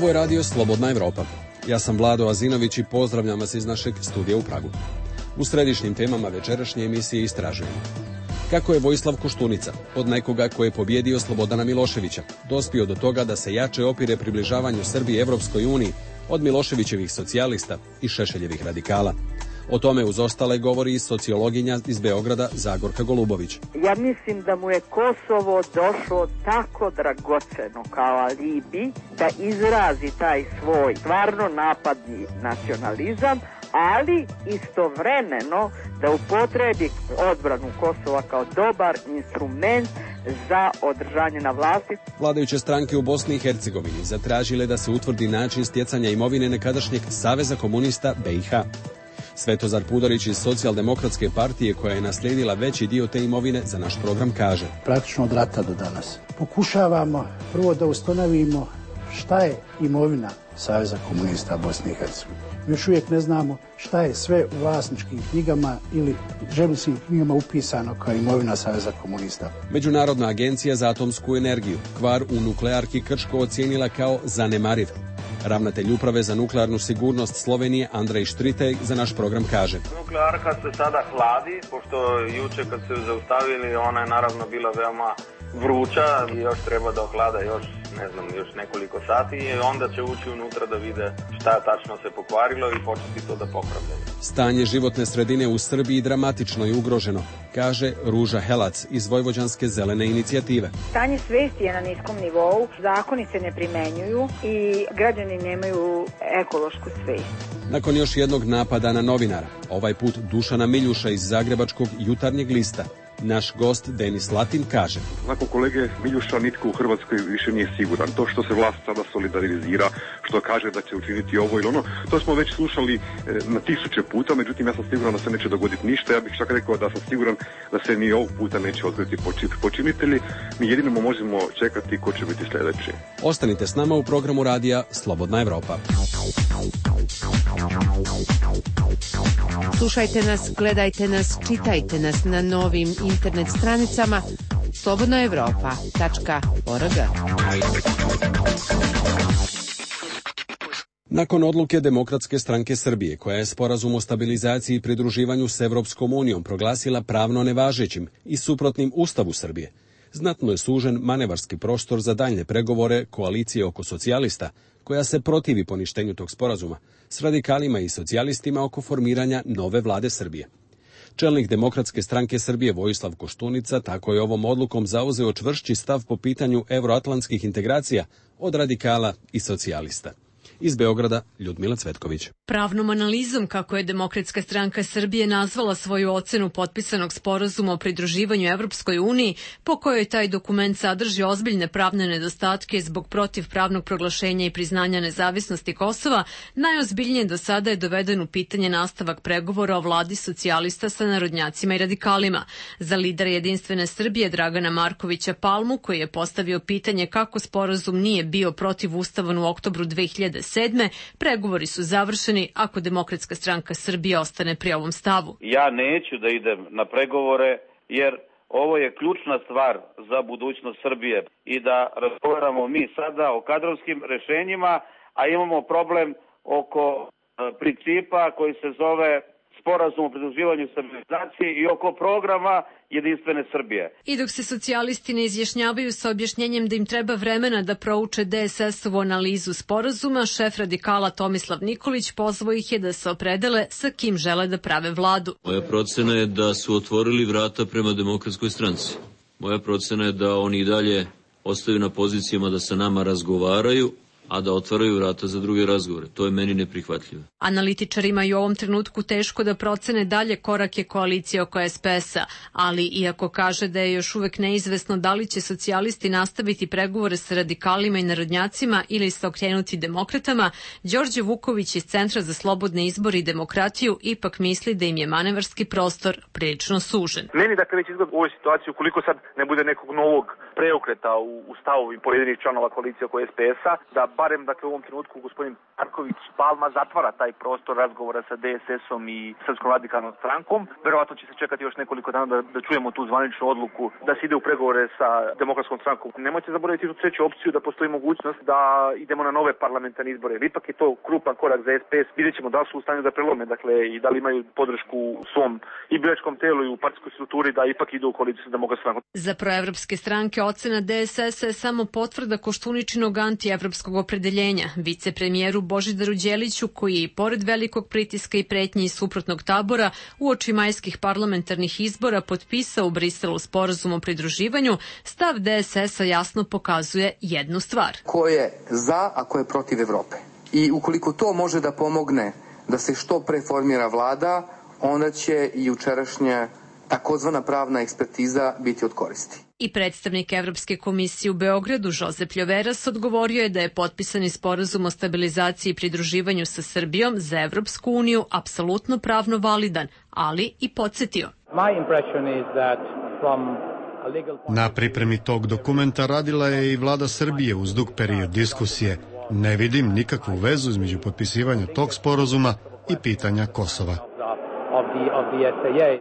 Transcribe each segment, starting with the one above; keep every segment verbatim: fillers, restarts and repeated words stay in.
Ovo je radio Slobodna Evropa. Ja sam Vlado Azinović i pozdravljam vas iz našeg studija u Pragu. U središnjim temama večerašnje emisije istražujemo kako je Vojislav Koštunica, od nekoga koji je pobjedio Slobodana Miloševića, dospio do toga da se jače opire približavanju Srbije Evropskoj uniji od Miloševićevih socijalista i Šešeljevih radikala. O tome uz ostale govori i sociologinja iz Beograda Zagorka Golubović. Ja mislim da mu je Kosovo došlo tako dragoceno kao alibi da izrazi taj svoj stvarno napadni nacionalizam, ali istovremeno da upotrebi odbranu Kosova kao dobar instrument za održanje na vlasti. Vladajuće stranke u Bosni i Hercegovini zatražile da se utvrdi način stjecanja imovine nekadašnjeg Saveza komunista B i H. Svetozar Pudorić iz Socijaldemokratske partije, koja je naslijedila veći dio te imovine, za naš program kaže: Praktično od rata do danas pokušavamo prvo da ustanovimo šta je imovina Saveza komunista Bosne i Hercegovine. Još uvijek ne znamo šta je sve u vlasničkim knjigama ili žeminskim knjigama upisano kao imovina Saveza komunista. Međunarodna agencija za atomsku energiju kvar u nuklearki Krško ocijenila kao zanemariv. Ravnatelj uprave za nuklearnu sigurnost Slovenije Andrej Štritej za naš program kaže: Nuklearka se sada hladi, pošto juče kad se zaustavili, ona je naravno bila veoma vruća i još treba da ohlada još, ne znam, još nekoliko sati i onda će ući unutra da vide šta tačno se pokvarilo i početi to da popravljaju. Stanje životne sredine u Srbiji dramatično je ugroženo, kaže Ruža Helac iz Vojvođanske zelene inicijative. Stanje svesti je na niskom nivou, zakoni se ne primenjuju i građani nemaju ekološku svest. Nakon još jednog napada na novinara, ovaj put Dušana Miljuša iz Zagrebačkog Jutarnjeg lista, naš gost Denis Latin kaže: Nakon kolege Miljuša nitko u Hrvatskoj više nije siguran. To što se vlast sada solidarizira, što kaže da će učiniti ovo ili ono, to smo već slušali na tisuće puta, međutim ja sam siguran da se neće dogoditi ništa. Ja bih čak rekao da sam siguran da se ni ovog puta neće otkriti počinitelji. Mi jedino možemo čekati ko će biti sljedeći. Ostanite s nama u programu radija Slobodna Evropa. Slušajte nas, gledajte nas, čitajte nas na novim internet stranicama slobodna evropa tačka org. Nakon odluke Demokratske stranke Srbije, koja je sporazum o stabilizaciji i pridruživanju s Evropskom unijom proglasila pravno nevažećim i suprotnim Ustavu Srbije, znatno je sužen manevarski prostor za daljnje pregovore koalicije oko socijalista, koja se protivi poništenju tog sporazuma, s radikalima i socijalistima oko formiranja nove vlade Srbije. Čelnik Demokratske stranke Srbije Vojislav Koštunica tako je ovom odlukom zauzeo čvršći stav po pitanju evroatlantskih integracija od radikala i socijalista. Iz Beograda Ljudmila Cvetković. Pravnom analizom, kako je Demokratska stranka Srbije nazvala svoju ocenu potpisanog sporazuma o pridruživanju Evropskoj uniji, po kojoj taj dokument sadrži ozbiljne pravne nedostatke zbog protivpravnog proglašenja i priznanja nezavisnosti Kosova, najozbiljnije do sada je doveden u pitanje nastavak pregovora o vladi socijalista sa narodnjacima i radikalima. Za lidera Jedinstvene Srbije Dragana Markovića Palmu, koji je postavio pitanje kako sporazum nije bio protivustavan u oktobru dve hiljade sedme. Pregovori su završeni ako Demokratska stranka Srbije ostane pri ovom stavu. Ja neću da idem na pregovore jer ovo je ključna stvar za budućnost Srbije i da razgovaramo mi sada o kadrovskim rešenjima, a imamo problem oko principa koji se zove sporazum o pridruživanju stabilizaciji i oko programa Jedinstvene Srbije. I dok se socijalisti ne izjašnjavaju sa objašnjenjem da im treba vremena da prouče D S S-ovu analizu sporazuma, šef radikala Tomislav Nikolić pozvao ih je da se opredele sa kim žele da prave vladu. Moja procena je da su otvorili vrata prema Demokratskoj stranci. Moja procena je da oni i dalje ostaju na pozicijama da sa nama razgovaraju, a da otvaraju vrata za druge razgovore. To je meni neprihvatljivo. Analitičarima je u ovom trenutku teško da procene dalje korake koalicije oko S P S-a, ali iako kaže da je još uvek neizvesno da li će socijalisti nastaviti pregovore sa radikalima i narodnjacima ili se okrenuti demokratama, Đorđe Vuković iz Centra za slobodne izbore i demokratiju ipak misli da im je manevarski prostor prilično sužen. Meni dakle već izgleda u ovoj situaciji, ukoliko sad ne bude nekog novog preokreta u, u stavu pojedinih članova koalicije oko S P S-a, da barem dakle u ovom trenutku gospodin Marković Palma zatvara taj prostor razgovora sa D S S-om i Srpskom radikalnom strankom. Verovatno će se čekati još nekoliko dana da, da čujemo tu zvaničnu odluku da se ide u pregovore sa Demokratskom strankom. Nemojte zaboraviti tu treću opciju da postoji mogućnost da idemo na nove parlamentarne izbore. Ipak je to krupan korak za S P S. Vidjet ćemo da li su u stanju da prelome, dakle, i da li imaju podršku u svom i biračkom telu i u partijskoj strukturi da ipak idu u koaliciju sa Demokratskom strankom. Za proevropske stranke ocena D S S-a je samo potvrda Koštuničinog antievropskog opredeljenja. Vicepremijeru Božidaru Đeliću, koji je i pored velikog pritiska i pretnji iz suprotnog tabora uoči majskih parlamentarnih izbora potpisao u Briselu sporazum o pridruživanju, stav D S S-a jasno pokazuje jednu stvar. Ko je za, a ko je protiv Evrope. I ukoliko to može da pomogne da se što pre formira vlada, onda će i jučerašnja takozvana pravna ekspertiza biti od koristi. I predstavnik Evropske komisije u Beogradu, Josep Ljoveras, odgovorio je da je potpisani sporazum o stabilizaciji i pridruživanju sa Srbijom za Evropsku uniju apsolutno pravno validan, ali i podsjetio. Na pripremi tog dokumenta radila je i vlada Srbije uz dug period diskusije. Ne vidim nikakvu vezu između potpisivanja tog sporazuma i pitanja Kosova.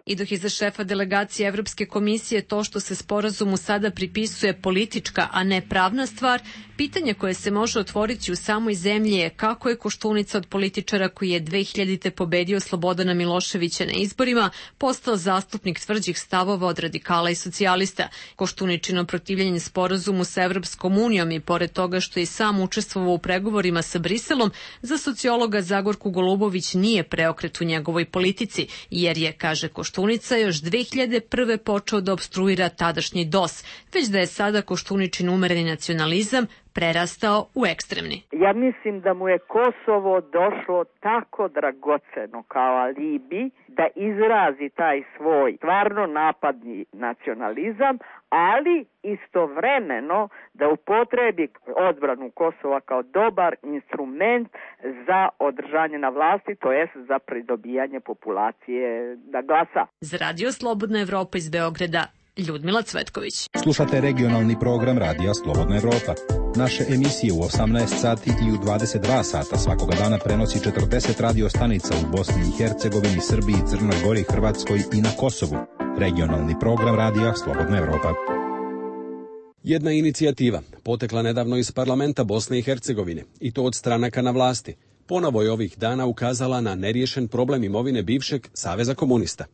I dok je za šefa delegacije Evropske komisije to što se sporazumu sada pripisuje politička, a ne pravna stvar, pitanje koje se može otvoriti u samoj zemlji je kako je Koštunica od političara koji je dve hiljadite pobedio Slobodana Miloševića na izborima postao zastupnik tvrđih stavova od radikala i socijalista. Koštuničino protivljenje sporazumu sa Evropskom unijom i pored toga što je sam učestvovao u pregovorima sa Briselom, za sociologa Zagorku Golubović nije preokret u njegovoj politici, jer je, kaže Koštunica, još dve hiljade prve počeo da opstruira tadašnji D O S, već da je sada Koštuničin umereni nacionalizam prerastao u ekstremni. Ja mislim da mu je Kosovo došlo tako dragoceno kao alibi da izrazi taj svoj stvarno napadni nacionalizam, ali istovremeno da upotrebi odbranu Kosova kao dobar instrument za održanje na vlasti, to jest za pridobijanje populacije da glasa. Za Radio Slobodna Evropa iz Beograda, Ljudmila Cvetković. Slušate regionalni program Radija Slobodna Evropa. Naše emisije u osamnaest sati i u dvadeset dva sata svakoga dana prenosi četrdeset radio stanica u Bosni i Hercegovini, Srbiji, Crnoj Gori, Hrvatskoj i na Kosovu. Regionalni program Radija Slobodna Evropa. Jedna inicijativa potekla nedavno iz parlamenta Bosne i Hercegovine, i to od stranaka na vlasti. Ponovo je ovih dana ukazala na neriješen problem imovine bivšeg Saveza komunista.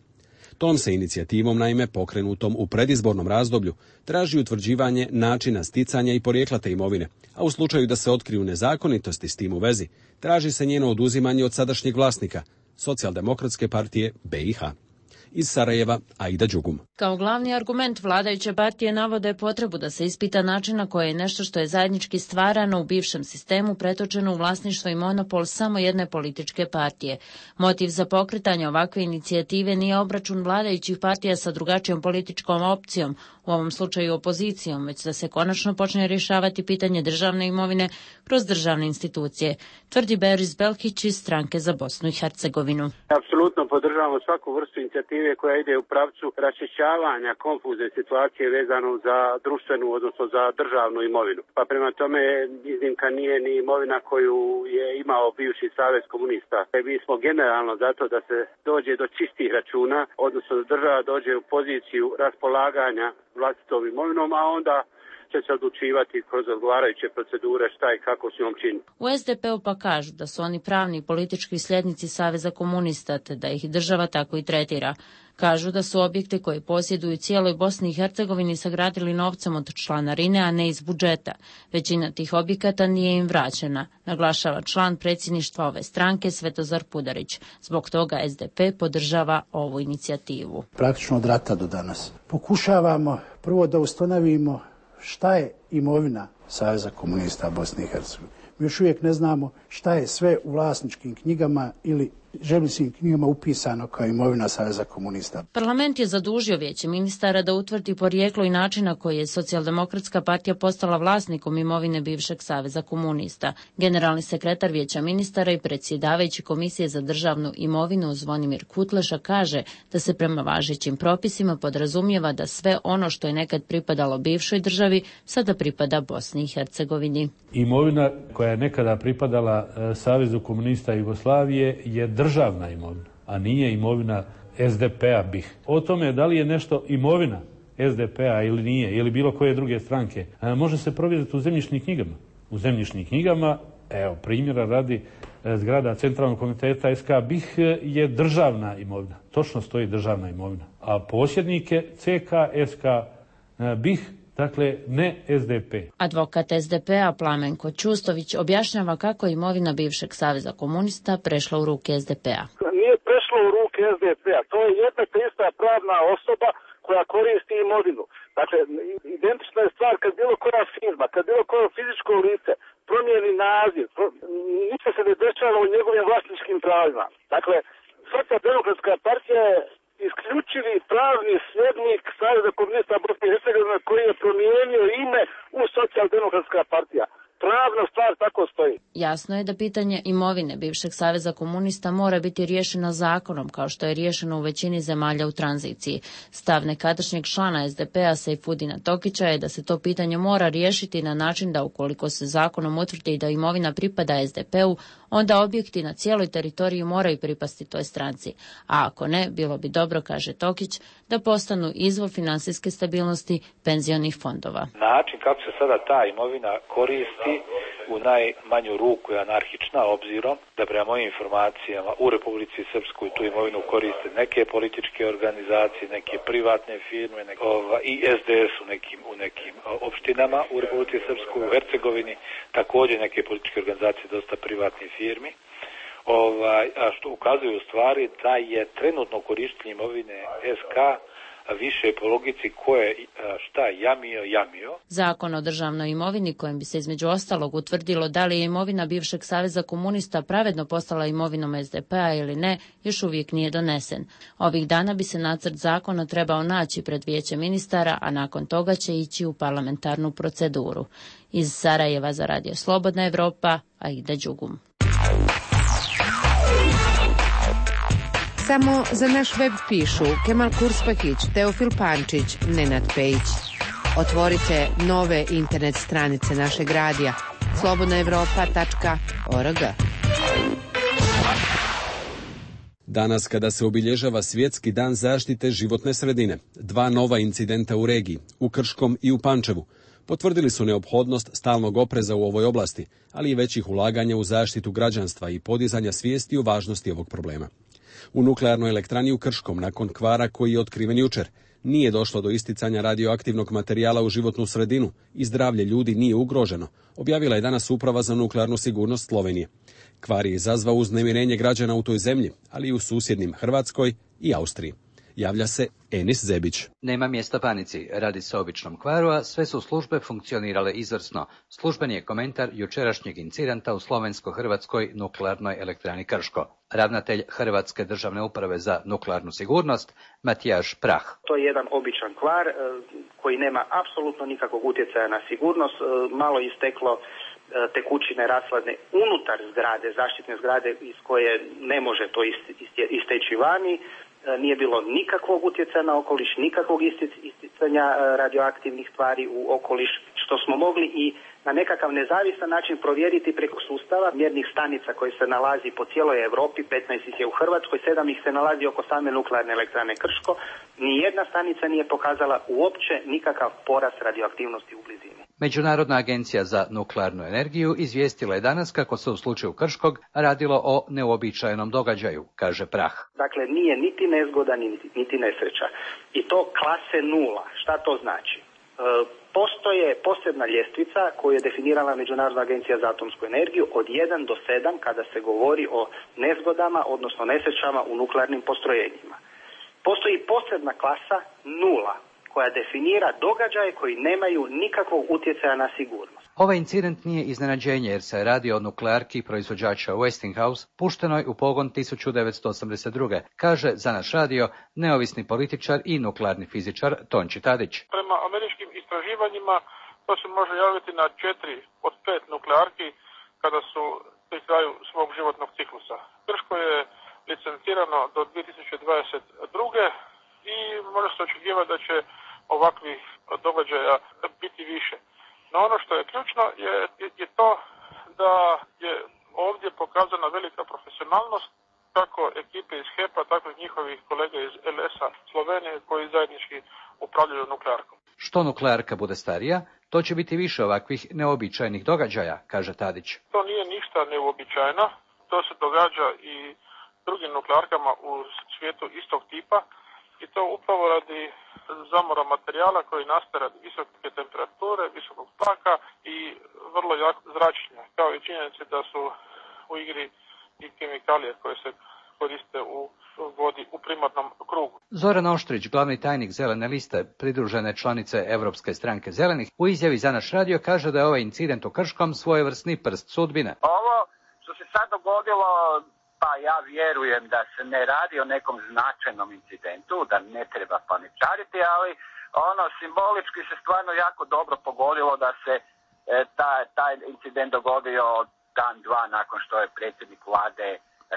Tom se inicijativom, naime, pokrenutom u predizbornom razdoblju, traži utvrđivanje načina sticanja i porijekla te imovine, a u slučaju da se otkriju nezakonitosti s tim u vezi, traži se njeno oduzimanje od sadašnjeg vlasnika, Socijaldemokratske partije B i H. Iz Sarajeva, Aida Đugum. Kao glavni argument vladajuće partije navode potrebu da se ispita način na koji je nešto što je zajednički stvarano u bivšem sistemu pretočeno u vlasništvo i monopol samo jedne političke partije. Motiv za pokretanje ovakve inicijative nije obračun vladajućih partija sa drugačijom političkom opcijom, u ovom slučaju opozicijom, već da se konačno počne rješavati pitanje državne imovine kroz državne institucije, tvrdi Beris Belkić iz Stranke za Bosnu i Hercegovinu. Apsolutno podržavamo svaku vrstu inicijative koja ide u pravcu raščišćavanja konfuzne situacije vezano za društvenu, odnosno za državnu imovinu. Pa prema tome iznimka nije ni imovina koju je imao bivši Savez komunista. Mi smo generalno zato da se dođe do čistih računa, odnosno da država dođe u poziciju raspolaganja vlastitom imovinom, a onda će se odlučivati kroz odgovarajuće procedure šta i kako s njom čini. U S D P-u pa kažu da su oni pravni i politički sljednici Saveza komunista, te da ih država tako i tretira. Kažu da su objekte koje posjeduju cijeloj Bosni i Hercegovini sagradili novcem od članarine, a ne iz budžeta. Većina tih objekata nije im vraćena, naglašava član predsjedništva ove stranke Svetozar Pudarić. Zbog toga S D P podržava ovu inicijativu. Praktično od rata do danas pokušavamo prvo da ustanovimo šta je imovina Saveza komunista Bosne i Hercegovine. Mi još uvijek ne znamo šta je sve u vlasničkim knjigama ili zemljišnim knjigama upisano kao imovina Saveza komunista. Parlament je zadužio Vijeće ministara da utvrdi porijeklo i način na koji je Socijaldemokratska partija postala vlasnikom imovine bivšeg Saveza komunista. Generalni sekretar Vijeća ministara i predsjedavajući Komisije za državnu imovinu Zvonimir Kutleša kaže da se prema važećim propisima podrazumijeva da sve ono što je nekad pripadalo bivšoj državi sada pripada Bosni i Hercegovini. Imovina koja je nekada pripadala Savezu komunista Jugoslavije je državna imovina, a nije imovina es de pe a B I H. O tome da li je nešto imovina es de pe a ili nije, ili bilo koje druge stranke, može se provjeriti u zemljišnim knjigama. U zemljišnim knjigama, evo primjera radi, zgrada Centralnog komiteta es ka B I H je državna imovina. Točno stoji državna imovina. A posjednik je ce ka es ka B I H, dakle ne es de pe. Advokat es de pe a Plamenko Čustović objašnjava kako je imovina bivšeg Saveza komunista prešla u ruke es de pe a. Nije prešlo u ruke es de pe a, to je jedna te ista pravna osoba koja koristi imovinu. Dakle, identična je stvar kad bilo koja firma, kad bilo koje fizičko lice promijeni naziv, ništa se ne dešava u njegovim vlasničkim pravima. Dakle, Socijaldemokratska partija je isključivi pravni sljednik Saveza komunista Bosne i Hercegovine koji je promijenio ime u Socijaldemokratska partija. Pravna stvar tako stoji. Jasno je da pitanje imovine bivšeg Saveza komunista mora biti riješeno zakonom, kao što je riješeno u većini zemalja u tranziciji. Stav nekadašnjeg člana es de pe a Sejfudina Tokića je da se to pitanje mora riješiti na način da ukoliko se zakonom utvrdi da imovina pripada es de pe u, onda objekti na cijeloj teritoriji moraju pripasti toj stranci. A ako ne, bilo bi dobro, kaže Tokić, da postanu izvor finansijske stabilnosti penzionih fondova. Način kako se sada ta imovina koristi u najmanju ruku je anarhična, obzirom da prema mojim informacijama u Republici Srpskoj tu imovinu koriste neke političke organizacije, neke privatne firme, neke, ova, i es de es u nekim, u nekim opštinama u Republici Srpskoj, u Hercegovini, također neke političke organizacije, dosta privatnih firmi. Ovaj, a što ukazuje u stvari da je trenutno korištenje imovine es ka više po logici ko je šta jamio, jamio. Zakon o državnoj imovini kojim bi se između ostalog utvrdilo da li je imovina bivšeg Saveza komunista pravedno postala imovinom es de pe a ili ne, još uvijek nije donesen. Ovih dana bi se nacrt zakona trebao naći pred Vijeće ministara, a nakon toga će ići u parlamentarnu proceduru. Iz Sarajeva za Radio Slobodna Evropa, Aida Đugum. Samo za naš web pišu Kemal Kurspahić, Teofil Pančić, Nenad Pejić. Otvorite nove internet stranice našeg radija slobodna evropa tačka org. Danas kada se obilježava Svjetski dan zaštite životne sredine, dva nova incidenta u regiji, u Krškom i u Pančevu, potvrdili su neophodnost stalnog opreza u ovoj oblasti, ali i većih ulaganja u zaštitu građanstva i podizanja svijesti o važnosti ovog problema. U nuklearnoj elektrani u Krškom, nakon kvara koji je otkriven jučer, nije došlo do isticanja radioaktivnog materijala u životnu sredinu i zdravlje ljudi nije ugroženo, objavila je danas Uprava za nuklearnu sigurnost Slovenije. Kvar je izazvao uznemirenje građana u toj zemlji, ali i u susjednim Hrvatskoj i Austriji. Javlja se Enis Zebić. Nema mjesta panici, radi se o običnom kvaru, a sve su službe funkcionirale izvrsno. Službeni je komentar jučerašnjeg incidenta u slovensko-hrvatskoj nuklearnoj elektrani Krško. Ravnatelj Hrvatske državne uprave za nuklearnu sigurnost, Matijaš Prah. To je jedan običan kvar koji nema apsolutno nikakvog utjecaja na sigurnost. Malo isteklo tekućine rasladne unutar zgrade, zaštitne zgrade iz koje ne može to isteći vani. Nije bilo nikakvog utjecaja na okoliš, nikakvog isticanja radioaktivnih tvari u okoliš, što smo mogli i na nekakav nezavisan način provjeriti preko sustava mjernih stanica koji se nalazi po cijeloj Europi, petnaest ih je u Hrvatskoj, sedam ih se nalazi oko same nuklearne elektrane Krško. Nijedna stanica nije pokazala uopće nikakav porast radioaktivnosti u blizini. Međunarodna agencija za nuklearnu energiju izvijestila je danas kako se u slučaju Krškog radilo o neuobičajenom događaju, kaže Prah. Dakle, nije niti nezgoda, niti, niti nesreća. I to klase nula. Šta to znači? E, postoje posebna ljestvica koju je definirala Međunarodna agencija za atomsku energiju od jedan do sedam kada se govori o nezgodama, odnosno nesrećama u nuklearnim postrojenjima. Postoji posebna klasa nula koja definira događaje koji nemaju nikakvog utjecaja na sigurnost. Ovaj incident nije iznenađenje jer se radi o nuklearki proizvođača Westinghouse puštenoj u pogon tisuću devetsto osamdeset druge, kaže za naš radio neovisni političar i nuklearni fizičar Tonči Tadić. Prema američkim istraživanjima to se može javiti na četiri od pet nuklearki kada su pri kraju svog životnog ciklusa. Krško je licencirano do dvije tisuće dvadeset druge i može se očekivati da će ovakvih događaja biti više. No ono što je ključno je, je, je to da je ovdje pokazana velika profesionalnost kako ekipe iz H E P-a, tako i njihovih kolega iz L S-a Slovenije koji zajednički upravljaju nuklearkom. Što nuklearka bude starija, to će biti više ovakvih neobičajnih događaja, kaže Tadić. To nije ništa neuobičajeno, to se događa i drugim nuklearkama u svijetu istog tipa i to upravo radi zamora materijala koji nastaje radi visoke temperature, visokog tlaka i vrlo jak zračenja, kao i činjenice da su u igri i kemikalije koje se koriste u vodi u primarnom krugu. Zoran Oštrić, glavni tajnik Zelene liste, pridružene članice Evropske stranke zelenih, u izjavi za naš radio kaže da je ovaj incident u Krškom svojevrsni prst sudbine. Ovo što se sad dogodilo, pa ja vjerujem da se ne radi o nekom značajnom incidentu, da ne treba paničariti, ali ono simbolički se stvarno jako dobro pogodilo da se e, taj, taj incident dogodio dan, dva nakon što je predsjednik vlade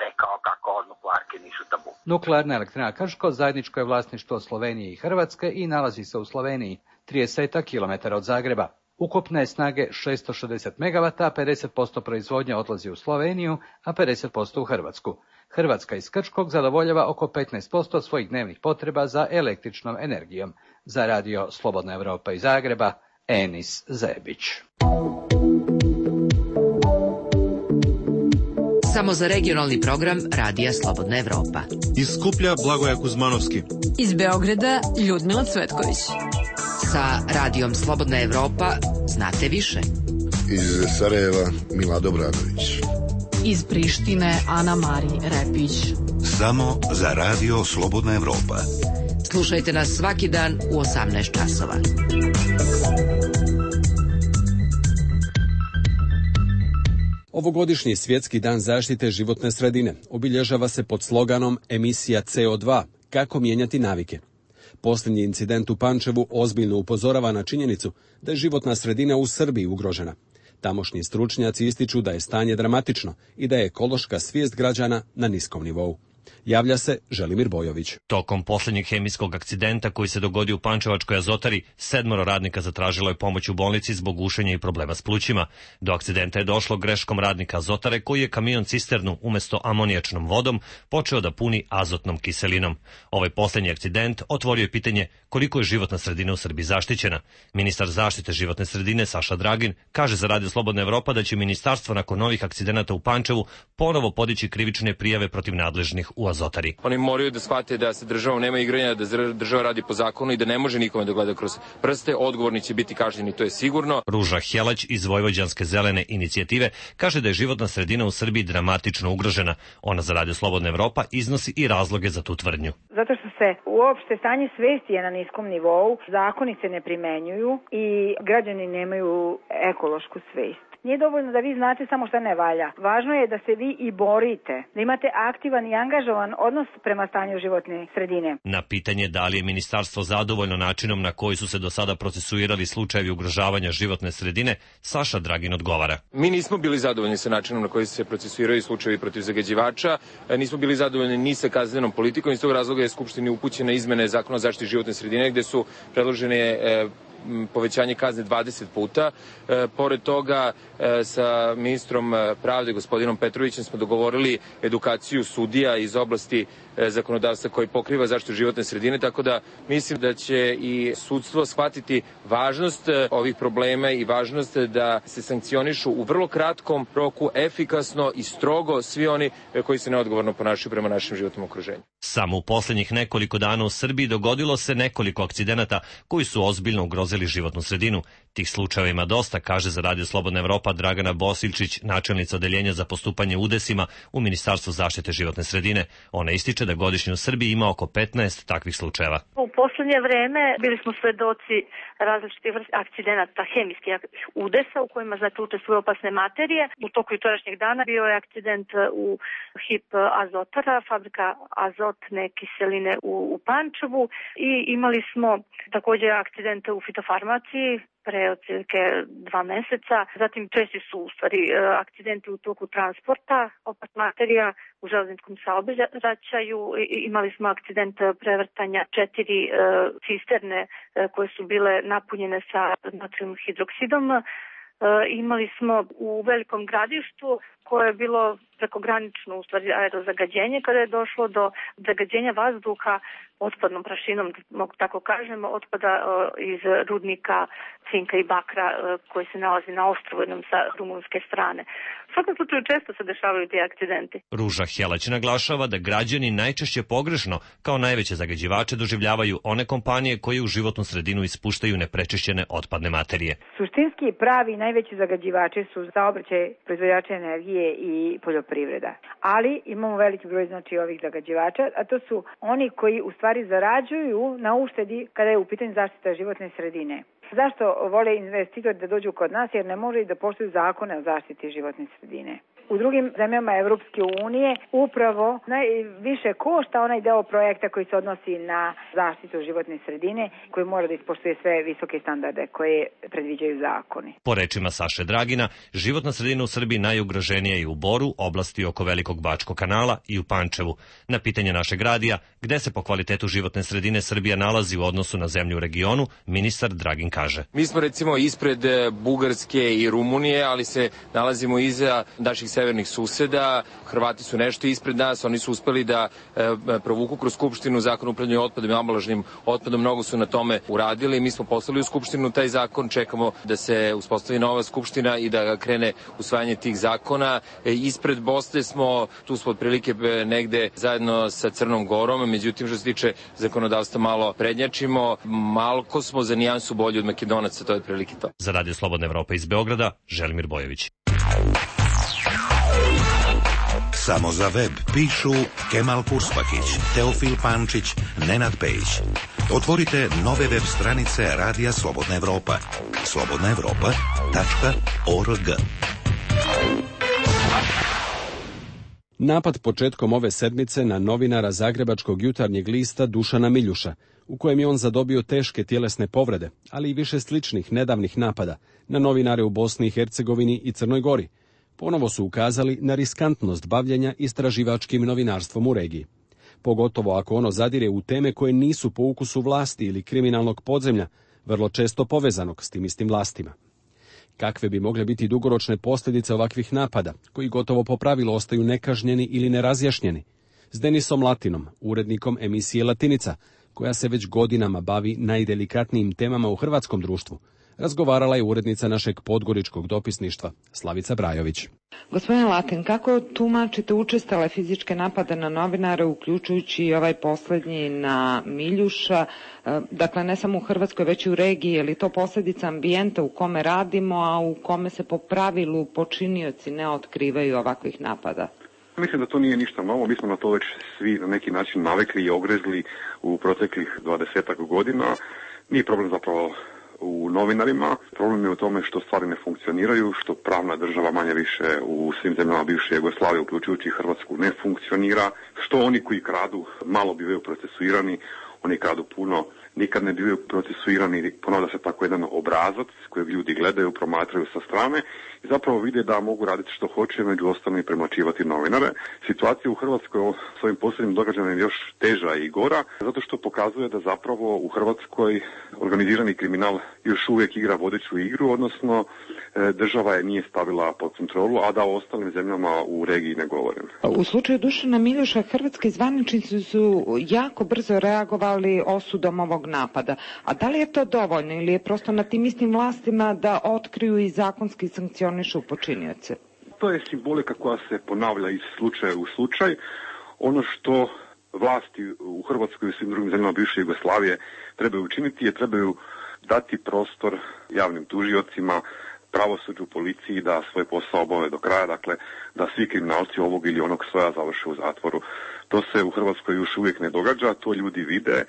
rekao kako nuklearke nisu tabu. Nuklearna elektrana Krško zajedničko je vlasništvo Slovenije i Hrvatske i nalazi se u Sloveniji, trideset kilometara od Zagreba. Ukupne snage šesto šezdeset megavata, pedeset posto proizvodnja odlazi u Sloveniju, a pedeset posto u Hrvatsku. Hrvatska iz Krškog zadovoljava oko petnaest posto svojih dnevnih potreba za električnom energijom. Za radio Slobodna Evropa iz Zagreba, Enis Zebić. Samo za regionalni program Radija Slobodna Evropa. Iz Skuplja Blagoja Kuzmanovski. Iz Beograda Ljudmila Cvetković. Sa Radijom Slobodna Evropa znate više. Iz Sarajeva Milad Obradović. Iz Prištine Ana Mari Repić. Samo za Radio Slobodna Evropa. Slušajte nas svaki dan u osamnaest časova. Ovogodišnji Svjetski dan zaštite životne sredine obilježava se pod sloganom emisija C O dva, kako mijenjati navike. Posljednji incident u Pančevu ozbiljno upozorava na činjenicu da je životna sredina u Srbiji ugrožena. Tamošnji stručnjaci ističu da je stanje dramatično i da je ekološka svijest građana na niskom nivou. Javlja se Želimir Bojović. Tokom posljednjeg hemijskog akcidenta koji se dogodio u Pančevačkoj azotari, sedmoro radnika zatražilo je pomoć u bolnici zbog gušenja i problema s plućima. Do akcidenta je došlo greškom radnika azotare koji je kamion cisternu umjesto amonijačnom vodom počeo da puni azotnom kiselinom. Ovaj posljednji akcident otvorio je pitanje koliko je životna sredina u Srbiji zaštićena. Ministar zaštite životne sredine Saša Dragin kaže za Radio Slobodna Evropa da će ministarstvo nakon novih akcidenata u Pančevu ponovo podići krivične prijave protiv nadležnih u azotari. Oni moraju da shvate da se državom nema igranja, da država radi po zakonu i da ne može nikome da gleda kroz prste. Odgovorni će biti kažnjeni, to je sigurno. Ruža Helać iz Vojvođanske zelene inicijative kaže da je životna sredina u Srbiji dramatično ugrožena. Ona za Radio Slobodna Evropa iznosi i razloge za tu tvrdnju. Zato što se uopšte stanje svesti je na niskom nivou, zakoni se ne primenjuju i građani nemaju ekološku svest. Nije dovoljno da vi znate samo šta ne valja. Važno je da se vi i borite, da imate aktivan i angažovan odnos prema stanju životne sredine. Na pitanje da li je ministarstvo zadovoljno načinom na koji su se do sada procesuirali slučajevi ugrožavanja životne sredine, Saša Dragin odgovara. Mi nismo bili zadovoljni sa načinom na koji se procesuiraju slučajevi protiv zagađivača, nismo bili zadovoljni ni sa kaznenom politikom, iz tog razloga je Skupštini upućene izmene Zakona o zaštiti životne sredine gde su predložene e, povećanje kazne dvadeset puta. E, pored toga e, sa ministrom pravde gospodinom Petrovićem smo dogovorili edukaciju sudija iz oblasti e, zakonodavstva koji pokriva zaštitu životne sredine, tako da mislim da će i sudstvo shvatiti važnost e, ovih problema i važnost da se sankcionišu u vrlo kratkom roku, efikasno i strogo svi oni e, koji se neodgovorno ponašaju prema našem životnom okruženju. Samo u posljednjih nekoliko dana u Srbiji dogodilo se nekoliko akcidenata koji su ozbiljno ugrozili životnu sredinu. Tih slučajeva ima dosta, kaže za Radio Slobodna Evropa Dragana Bosiljčić, načelnica odeljenja za postupanje udesima u Ministarstvu zaštite životne sredine. Ona ističe da godišnje u Srbiji ima oko petnaest takvih slučajeva. U poslednje vreme bili smo svedoci različitih akcidenata hemijskih udesa u kojima znači učestvuju opasne materije. U toku jučerašnjeg dana bio je akcident u H I P Azotara, fabrika azotne kiseline u, u Pančevu, i imali smo takođe akcidente u fitofarmaciji pre otprilike dva meseca. Zatim češći su u stvari akcidenti u toku transporta opasnih materija u železničkom saobraćaju. Imali smo akcident prevrtanja četiri e, cisterne e, koje su bile napunjene sa natrium hidroksidom. E, imali smo u Velikom Gradištu koje je bilo prekogranično u stvari aerozagađenje, kada je došlo do zagađenja vazduha otpadnom prašinom, mogu tako kažem, otpada e, iz rudnika cinka i bakra e, koji se nalazi na ostrvu jednom sa rumunske strane. U svakom slučaju često se dešavaju ti akcidenti. Ruža Helać naglašava da građani najčešće pogrešno kao najveće zagađivače doživljavaju one kompanije koje u životnu sredinu ispuštaju neprečišćene otpadne materije. Suštinski pravi najveći zagađivači su saobraćaj, proizvođači energije i poljoprivreda. Ali imamo veliki broj znači ovih zagađivača, a to su oni koji u stvari zarađuju na uštedi kada je u pitanju zaštita životne sredine. Zašto vole investitori da dođu kod nas? Jer ne može da poštuju zakone o zaštiti životne sredine. U drugim zemljama Evropske unije upravo najviše košta onaj deo projekta koji se odnosi na zaštitu životne sredine, koji mora da ispoštuje sve visoke standarde koje predviđaju zakoni. Po rečima Saše Dragina, životna sredina u Srbiji najugroženija je u Boru, oblasti oko Velikog Bačkog kanala, i u Pančevu. Na pitanje našeg radija, gde se po kvalitetu životne sredine Srbija nalazi u odnosu na zemlju u regionu, ministar Dragin kaže: Mi smo recimo ispred Bugarske i Rumunije, ali se nalazimo iza naših severnih suseda. Hrvati su nešto ispred nas, oni su uspeli da e, provuku kroz Skupštinu zakon o upravljanju otpadom i ambalažnim otpadom, mnogo su na tome uradili. Mi smo poslali u Skupštinu taj zakon, čekamo da se uspostavi nova Skupština i da krene usvajanje tih zakona. E, ispred Bosne smo, tu smo otprilike negde zajedno sa Crnom Gorom, međutim što se tiče zakonodavstva malo prednjačimo, malko smo za nijansu bolji od Makedonaca, to je otprilike to. Za Radio Slobodna Evropa iz Beograda, Želimir Bojović. Samo za web pišu Kemal Kurspahić, Teofil Pančić, Nenad Pejić. Otvorite nove web stranice Radija Slobodna Evropa. slobodna evropa tačka org. Napad početkom ove sedmice na novinara Zagrebačkog jutarnjeg lista Dušana Miljuša, u kojem je on zadobio teške tjelesne povrede, ali i više sličnih nedavnih napada na novinare u Bosni i Hercegovini i Crnoj Gori, ponovo su ukazali na riskantnost bavljenja istraživačkim novinarstvom u regiji. Pogotovo ako ono zadire u teme koje nisu po ukusu vlasti ili kriminalnog podzemlja, vrlo često povezanog s tim istim vlastima. Kakve bi mogle biti dugoročne posljedice ovakvih napada, koji gotovo po pravilu ostaju nekažnjeni ili nerazjašnjeni? S Denisom Latinom, urednikom emisije Latinica, koja se već godinama bavi najdelikatnijim temama u hrvatskom društvu, razgovarala je urednica našeg podgoričkog dopisništva, Slavica Brajović. Gospodine Latin, kako tumačite učestale fizičke napade na novinare, uključujući i ovaj posljednji na Miljuša, dakle ne samo u Hrvatskoj, već i u regiji, je li to posljedica ambijenta u kome radimo, a u kome se po pravilu počinioci ne otkrivaju ovakvih napada? Mislim da to nije ništa novo, mi smo na to već svi na neki način navikli i ogrezli u proteklih dvadesetak godina. Nije problem zapravo u novinarima, problem je u tome što stvari ne funkcioniraju, što pravna država manje više u svim zemljama bivše Jugoslavije, uključujući Hrvatsku, ne funkcionira, što oni koji kradu malo bivaju procesuirani, oni kradu puno, nikad ne bivaju procesuirani, ponavlja se tako jedan obrazac kojeg ljudi gledaju, promatraju sa strane i zapravo vide da mogu raditi što hoće, među ostalim i premlaćivati novinare. Situacija u Hrvatskoj s ovim posljednjim događajem je još teža i gora, zato što pokazuje da zapravo u Hrvatskoj organizirani kriminal još uvijek igra vodeću igru, odnosno država je nije stavila pod kontrolu, a da o ostalim zemljama u regiji ne govorim. U slučaju Dušana Miljuša, hrvatski zvaničnici su jako brzo reagovali osudom ovog napada. A da li je to dovoljno ili je prosto na tim istim vlastima da otkriju i zakonski sankcionišu počinioce? To je simbolika koja se ponavlja iz slučaja u slučaj. Ono što vlasti u Hrvatskoj i svim drugim zemljama bivše Jugoslavije trebaju učiniti je trebaju dati prostor javnim tužiocima, pravosuđu, policiji da svoj posao obave do kraja, dakle da svi kriminalci ovog ili onog svoja završe u zatvoru. To se u Hrvatskoj još uvijek ne događa, to ljudi vide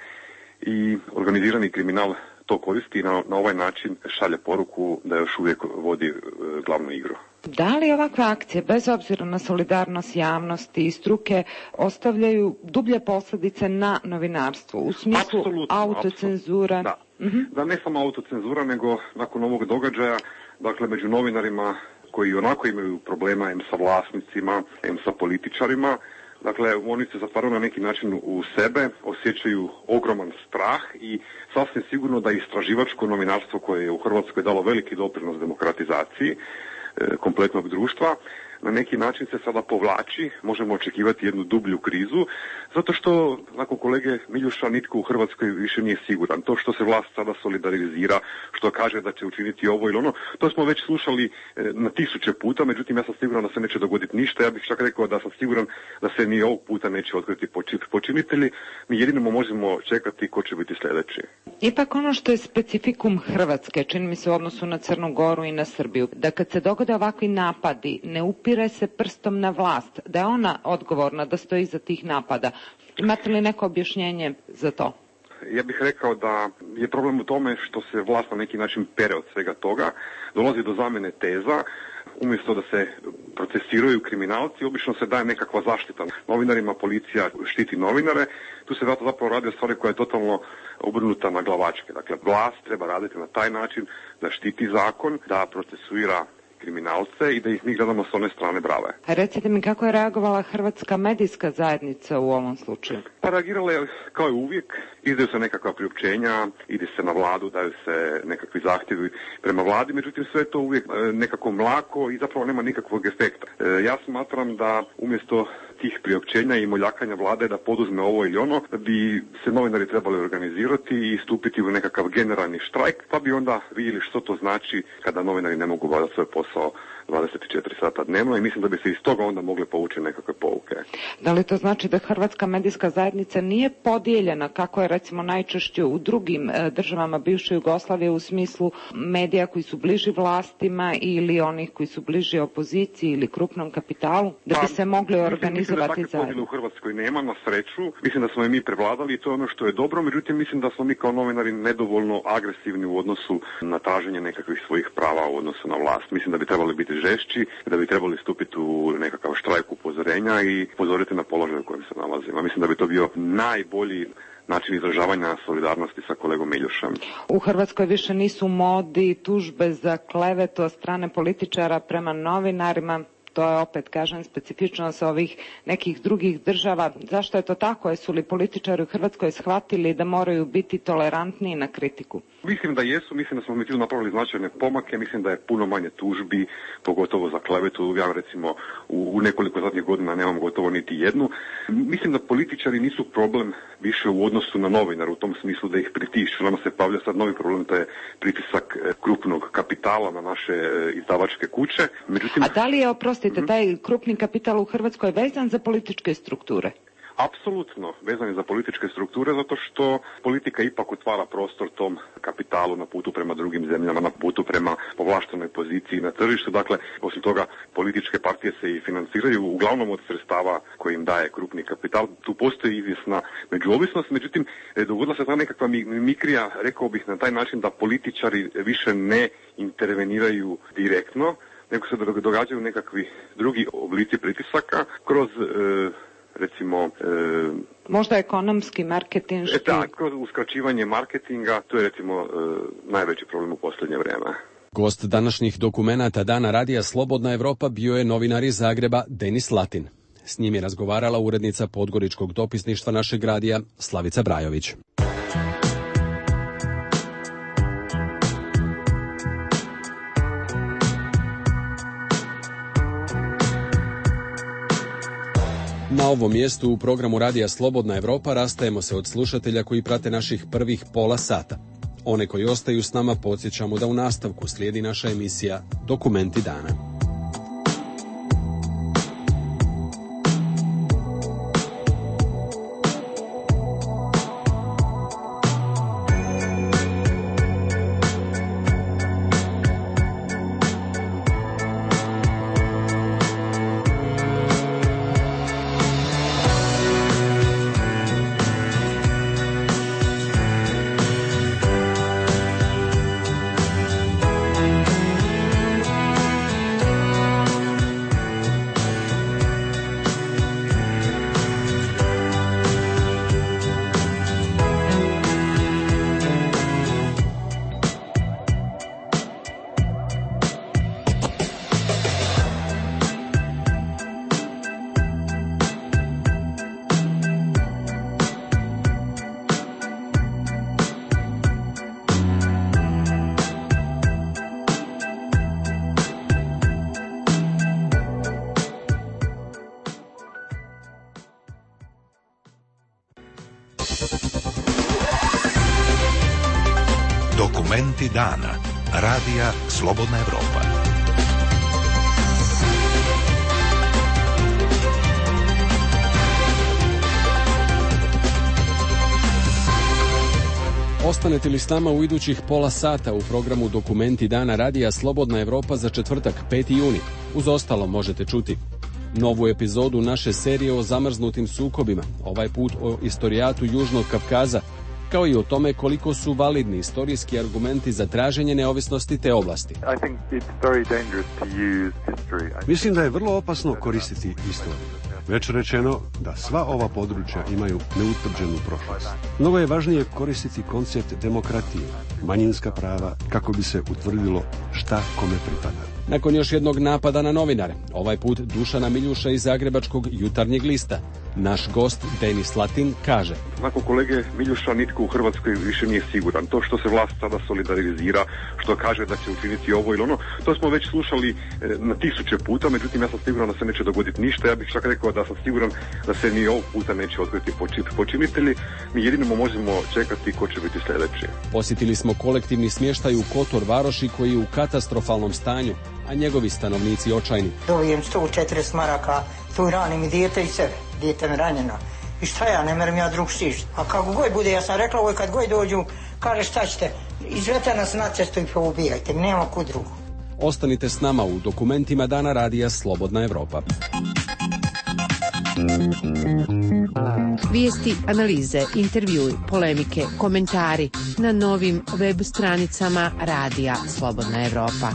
i organizirani kriminal to koristi i na, na ovaj način šalje poruku da još uvijek vodi e, glavnu igru. Da li ovakve akcije, bez obzira na solidarnost javnosti i struke, ostavljaju dublje posljedice na novinarstvo u smislu apsolutno, autocenzura? Apsolutno, da. Uh-huh. Da, ne samo autocenzura, nego nakon ovog događaja, dakle među novinarima koji onako imaju problema em sa vlasnicima, em sa političarima, dakle, oni se zatvaraju na neki način u sebe, osjećaju ogroman strah i sasvim sigurno da istraživačko novinarstvo koje je u Hrvatskoj dalo veliki doprinos demokratizaciji e, kompletnog društva, na neki način se sada povlači, možemo očekivati jednu dublju krizu, zato što nakon kolege Miljuša nitko u Hrvatskoj više nije siguran. To što se vlast sada solidarizira, što kaže da će učiniti ovo ili ono, to smo već slušali na tisuće puta, međutim ja sam siguran da se neće dogoditi ništa. Ja bih čak rekao da sam siguran da se ni ovog puta neće otkriti počinitelji. Mi jedino možemo čekati ko će biti sljedeći. Ipak ono što je specifikum Hrvatske, čini mi se u odnosu na Crnu Goru i na Srbiju, da kad se dogode ovakvi napadi, ne upire se prstom na vlast, da je ona odgovorna, da stoji iza tih napada. Imate li neko objašnjenje za to? Ja bih rekao da je problem u tome što se vlast na neki način pere od svega toga, dolazi do zamjene teza, umjesto da se procesiraju kriminalci, obično se daje nekakva zaštita novinarima, policija štiti novinare, tu se zato zapravo radi o stvari koja je totalno obrnuta na glavačke. Dakle, vlast treba raditi na taj način da štiti zakon, da procesuira kriminalce i da ih mi gledamo s one strane brave. A recite mi kako je reagovala hrvatska medijska zajednica u ovom slučaju? Pa reagirala je kao i uvijek, izdaju se nekakva priopćenja, ide se na vladu, daju se nekakvi zahtjevi prema vladi, međutim sve je to uvijek nekako mlako i zapravo nema nikakvog efekta. Ja smatram da umjesto tih priopćenja i moljakanja vlade da poduzme ovo ili ono, da bi se novinari trebali organizirati i stupiti u nekakav generalni štrajk, pa bi onda vidjeli što to znači kada novinari ne mogu obavljati svoj posao dvadeset četiri sata dnevno i mislim da bi se iz toga onda mogle povući nekakve pouke. Da li to znači da hrvatska medijska zajednica nije podijeljena kako je recimo najčešće u drugim državama bivše Jugoslavije u smislu medija koji su bliži vlastima ili onih koji su bliži opoziciji ili krupnom kapitalu, da bi se mogli organizovati zajedno? Mislim da u Hrvatskoj nema, na sreću. Mislim da smo i mi prevladali i to je ono što je dobro, međutim mislim da smo mi kao novinari nedovoljno agresivni u odnosu na traženje nekakvih svojih prava u odnosu na vlast. Mislim da bi trebali biti žešći, da bi trebali stupiti u nekakav štrajk upozorenja i upozoriti na položaj u kojem se nalazimo. Mislim da bi to bio najbolji način izražavanja solidarnosti sa kolegom Miljušem. U Hrvatskoj više nisu modi tužbe za klevetu od strane političara prema novinarima. To je opet, kažem, specifičnost ovih nekih drugih država. Zašto je to tako? Jesu li političari u Hrvatskoj shvatili da moraju biti tolerantniji na kritiku? Mislim da jesu, mislim da smo mi tu napravili značajne pomake, mislim da je puno manje tužbi, pogotovo za klevetu. Ja recimo u, u nekoliko zadnjih godina nemam gotovo niti jednu. Mislim da političari nisu problem više u odnosu na novinara, u tom smislu da ih pritišću. Nama se pavlja sad novi problem, to je pritisak krupnog kapitala na naše izdavačke kuće. Međutim, a da li je, oprostite, taj krupni kapital u Hrvatskoj vezan za političke strukture? Apsolutno vezan je za političke strukture, zato što politika ipak otvara prostor tom kapitalu na putu prema drugim zemljama, na putu prema povlaštenoj poziciji na tržištu. Dakle, osim toga, političke partije se i financiraju uglavnom od sredstava koje im daje krupni kapital. Tu postoji izvjesna međuovisnost, međutim, dogodila se ta nekakva mikrija, rekao bih na taj način da političari više ne interveniraju direktno, nego se događaju nekakvi drugi oblici pritisaka kroz e, recimo... E, možda ekonomski, marketinški... E, da, kroz uskraćivanje marketinga, to je recimo e, najveći problem u posljednje vrijeme. Gost današnjih dokumenata Dana radija Slobodna Evropa bio je novinar iz Zagreba Denis Latin. S njim je razgovarala urednica podgoričkog dopisništva našeg radija Slavica Brajović. Na ovom mjestu u programu Radija Slobodna Evropa rastajemo se od slušatelja koji prate naših prvih pola sata. One koji ostaju s nama podsjećamo da u nastavku slijedi naša emisija Dokumenti dana. Dokumenti dana. Radija Slobodna Evropa. Ostanete li s nama u idućih pola sata u programu Dokumenti dana Radija Slobodna Evropa za četvrtak, peti juni. Uz ostalo možete čuti novu epizodu naše serije o zamrznutim sukobima, ovaj put o istorijatu Južnog Kavkaza, kao i o tome koliko su validni istorijski argumenti za traženje neovisnosti te oblasti. Mislim da je vrlo opasno koristiti istoriju. Već rečeno da sva ova područja imaju neutvrđenu prošlost. Mnogo je važnije koristiti koncept demokratije, manjinska prava, kako bi se utvrdilo šta kome pripada. Nakon još jednog napada na novinare, ovaj put Dušana Miljuša iz Zagrebačkog Jutarnjeg lista, naš gost Denis Latin kaže: Nakon kolege Miljuša nitko u Hrvatskoj više nije siguran. To što se vlast sada solidarizira, što kaže da će učiniti ovo ili ono, to smo već slušali na tisuće puta, međutim ja sam siguran da se neće dogoditi ništa. Ja bih čak rekao da sam siguran da se ni ovog puta neće otkriti počinitelji. Mi jedino možemo čekati ko će biti sljedeći. Posjetili smo kolektivni smještaj u Kotor Varoši koji je u katastrofalnom stanju, a njegovi stanovnici očajni. Dobijem sto četrdeset maraka, tu ranim i dijete i sebe, dijete me ranjeno. I šta ja, ne merim ja drug stišt. A kako goj bude, ja sam rekla ovoj kad goj dođu, kaže šta ćete, izvete nas na cestu i poubijajte, nema kud drugu. Ostanite s nama u Dokumentima dana Radija Slobodna Evropa. Vijesti, analize, intervjui, polemike, komentari na novim web stranicama Radija Slobodna Evropa.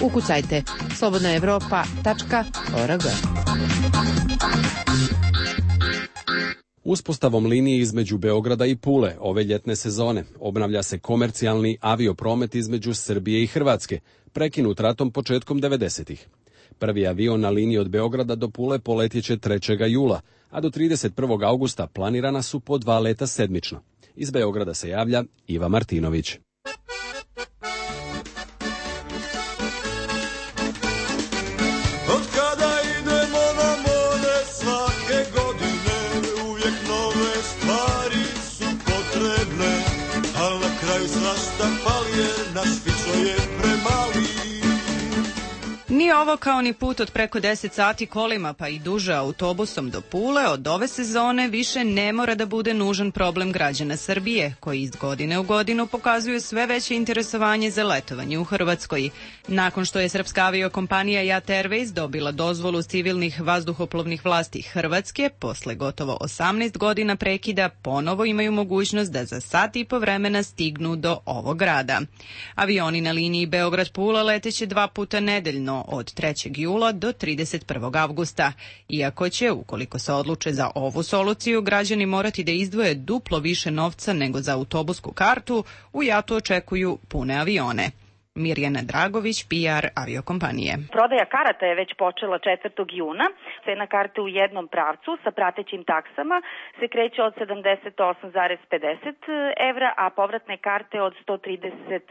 Ukucajte slobodna evropa tačka org. Uspostavom linije između Beograda i Pule ove ljetne sezone obnavlja se komercijalni aviopromet između Srbije i Hrvatske, prekinut ratom početkom devedesetih. Prvi avion na liniji od Beograda do Pule poletjeće trećeg jula, a do trideset prvog augusta planirana su po dva leta sedmično. Iz Beograda se javlja Iva Martinović. Nije ovo kao ni put od preko deset sati kolima pa i duže autobusom do Pule, od ove sezone više ne mora da bude nužan problem građana Srbije, koji iz godine u godinu pokazuju sve veće interesovanje za letovanje u Hrvatskoj. Nakon što je srpska aviokompanija Jat Airways dobila dozvolu civilnih vazduhoplovnih vlasti Hrvatske, posle gotovo osamnaest godina prekida ponovo imaju mogućnost da za sat i po vremena stignu do ovog grada. Avioni na liniji Beograd-Pula leteće dva puta nedeljno, od trećeg jula do trideset prvog avgusta. Iako će, ukoliko se odluče za ovu soluciju, građani morati da izdvoje duplo više novca nego za autobusku kartu, u Jatu očekuju pune avione. Mirjana Dragović, P R aviokompanije. Prodaja karata je već počela četvrtog juna. Cena karte u jednom pravcu sa pratećim taksama se kreće od sedamdeset osam zarez pedeset evra, a povratne karte od sto trideset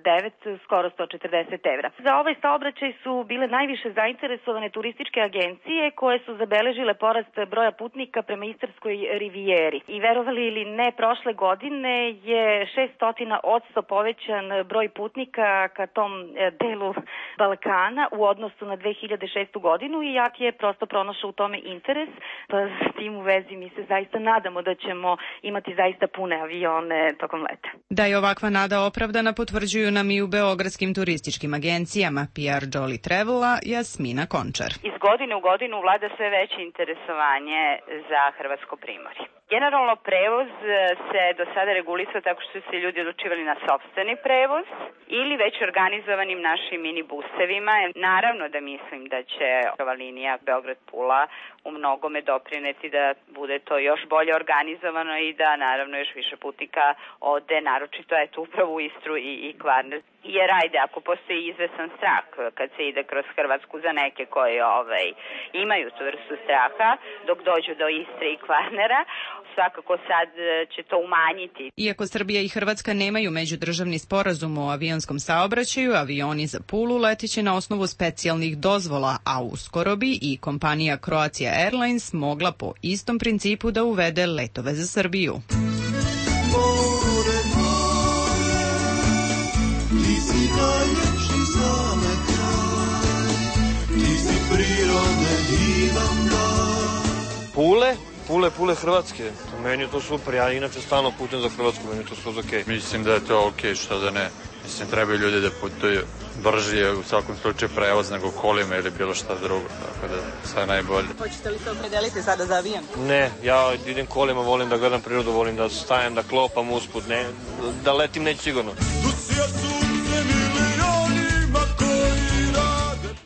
devet, skoro sto četrdeset evra. Za ovaj saobraćaj su bile najviše zainteresovane turističke agencije koje su zabeležile porast broja putnika prema Istarskoj rivijeri. I verovali ili ne, prošle godine je šesto odsto povećan broj putnika ka tom delu Balkana u odnosu na dve hiljade šestu godinu i jak je prosto pronašao u tome interes. Pa s tim u vezi mi se zaista nadamo da ćemo imati zaista pune avione tokom leta. Da je ovakva nada opravdana potvrđuju nam i u beogradskim turističkim agencijama P R Jolly Travela Jasmina Končar. Iz godine u godinu vlada sve veće interesovanje za Hrvatsko primorje. Generalno prevoz se do sada regulisao tako što su se ljudi odlučivali na sopstveni prevoz ili već organizovanim našim minibusevima. Naravno da mislim da će ova linija Beograd-Pula u mnogome doprineti da bude to još bolje organizovano i da naravno još više putnika ode, naročito eto upravo u Istru i, i Kvarner. Jer ajde, ako postoji izvesan strah kad se ide kroz Hrvatsku za neke koji ovaj, imaju tu vrstu straha dok dođu do Istre i Kvarnera, svakako sad će to umanjiti. Iako Srbija i Hrvatska nemaju međudržavni sporazum o avionskom saobraćaju, avioni za Pulu leteće na osnovu specijalnih dozvola, a uskoro bi i kompanija Croatia Airlines mogla po istom principu da uvede letove za Srbiju. more, more, ti si najljepši za me kraj, ti si prirode divan dan. Pule? Pule, Pule Hrvatske. Meni je to super, ja inače stalno putujem za Hrvatsku, meni je to skroz okej. Mislim da je to okej, što da ne. Mislim, trebaju ljudi da putuju brži, u svakom slučaju prevoz nego kolima ili bilo šta drugo, tako da sve najbolje. Hoćete li se opredeliti sada za avion? Ne, ja idem kolima, volim da gledam prirodu, volim da stajem, da klopam usput, ne, da letim neću sigurno.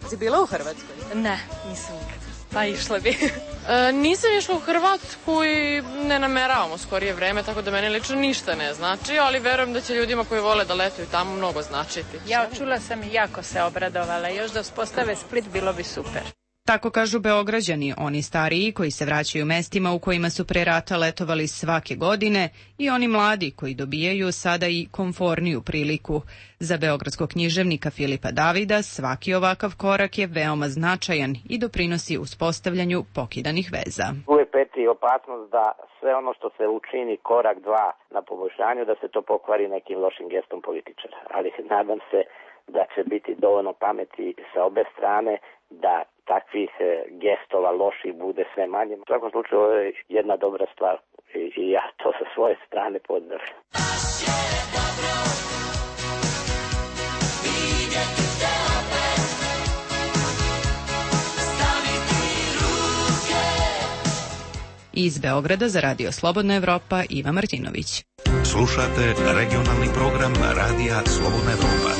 Si bila u Hrvatskoj? Ne, nisam nikad. Pa išla bi. e, nisam išla u Hrvatsku i ne nameravamo skorije vreme, tako da meni lično ništa ne znači, ali verujem da će ljudima koji vole da letuju tamo mnogo značiti. Ja čula sam i jako se obradovala. Još da uspostave Split bilo bi super. Tako kažu Beograđani, oni stariji koji se vraćaju mestima u kojima su pre rata letovali svake godine i oni mladi koji dobijaju sada i komforniju priliku. Za beogradskog književnika Filipa Davida svaki ovakav korak je veoma značajan i doprinosi uspostavljanju pokidanih veza. Uvijek peti opasnost da sve ono što se učini korak dva na poboljšanju, da se to pokvari nekim lošim gestom političara. Ali nadam se da će biti dovoljno pameti sa obe strane da takvih gestova loših bude sve manje. U svakom slučaju ovo je jedna dobra stvar i ja to sa svoje strane pozdravljam. Iz Beograda za Radio Slobodna Evropa Iva Martinović. Slušate regionalni program Radija Slobodna Evropa.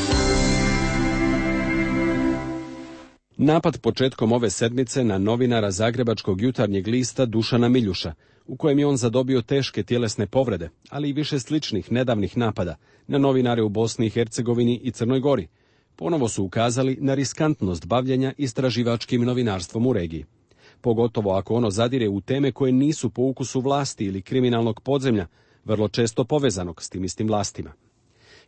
Napad početkom ove sedmice na novinara Zagrebačkog jutarnjeg lista Dušana Miljuša, u kojem je on zadobio teške tjelesne povrede, ali i više sličnih nedavnih napada na novinare u Bosni i Hercegovini i Crnoj Gori, ponovo su ukazali na riskantnost bavljenja istraživačkim novinarstvom u regiji. Pogotovo ako ono zadire u teme koje nisu po ukusu vlasti ili kriminalnog podzemlja, vrlo često povezanog s tim istim vlastima.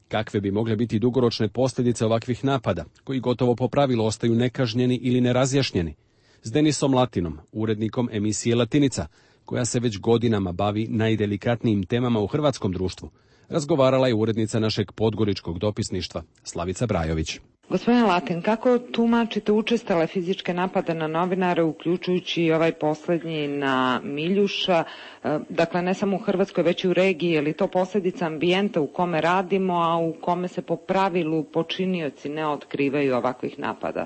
Kakve bi mogle biti dugoročne posljedice ovakvih napada, koji gotovo po pravilu ostaju nekažnjeni ili nerazjašnjeni? S Denisom Latinom, urednikom emisije Latinica, koja se već godinama bavi najdelikatnijim temama u hrvatskom društvu, razgovarala je urednica našeg podgoričkog dopisništva, Slavica Brajović. Gospodine Latin, kako tumačite učestale fizičke napade na novinare, uključujući i ovaj posljednji na Miljuša, dakle ne samo u Hrvatskoj, već i u regiji, je li to posljedica ambijenta u kome radimo, a u kome se po pravilu počinioci ne otkrivaju ovakvih napada?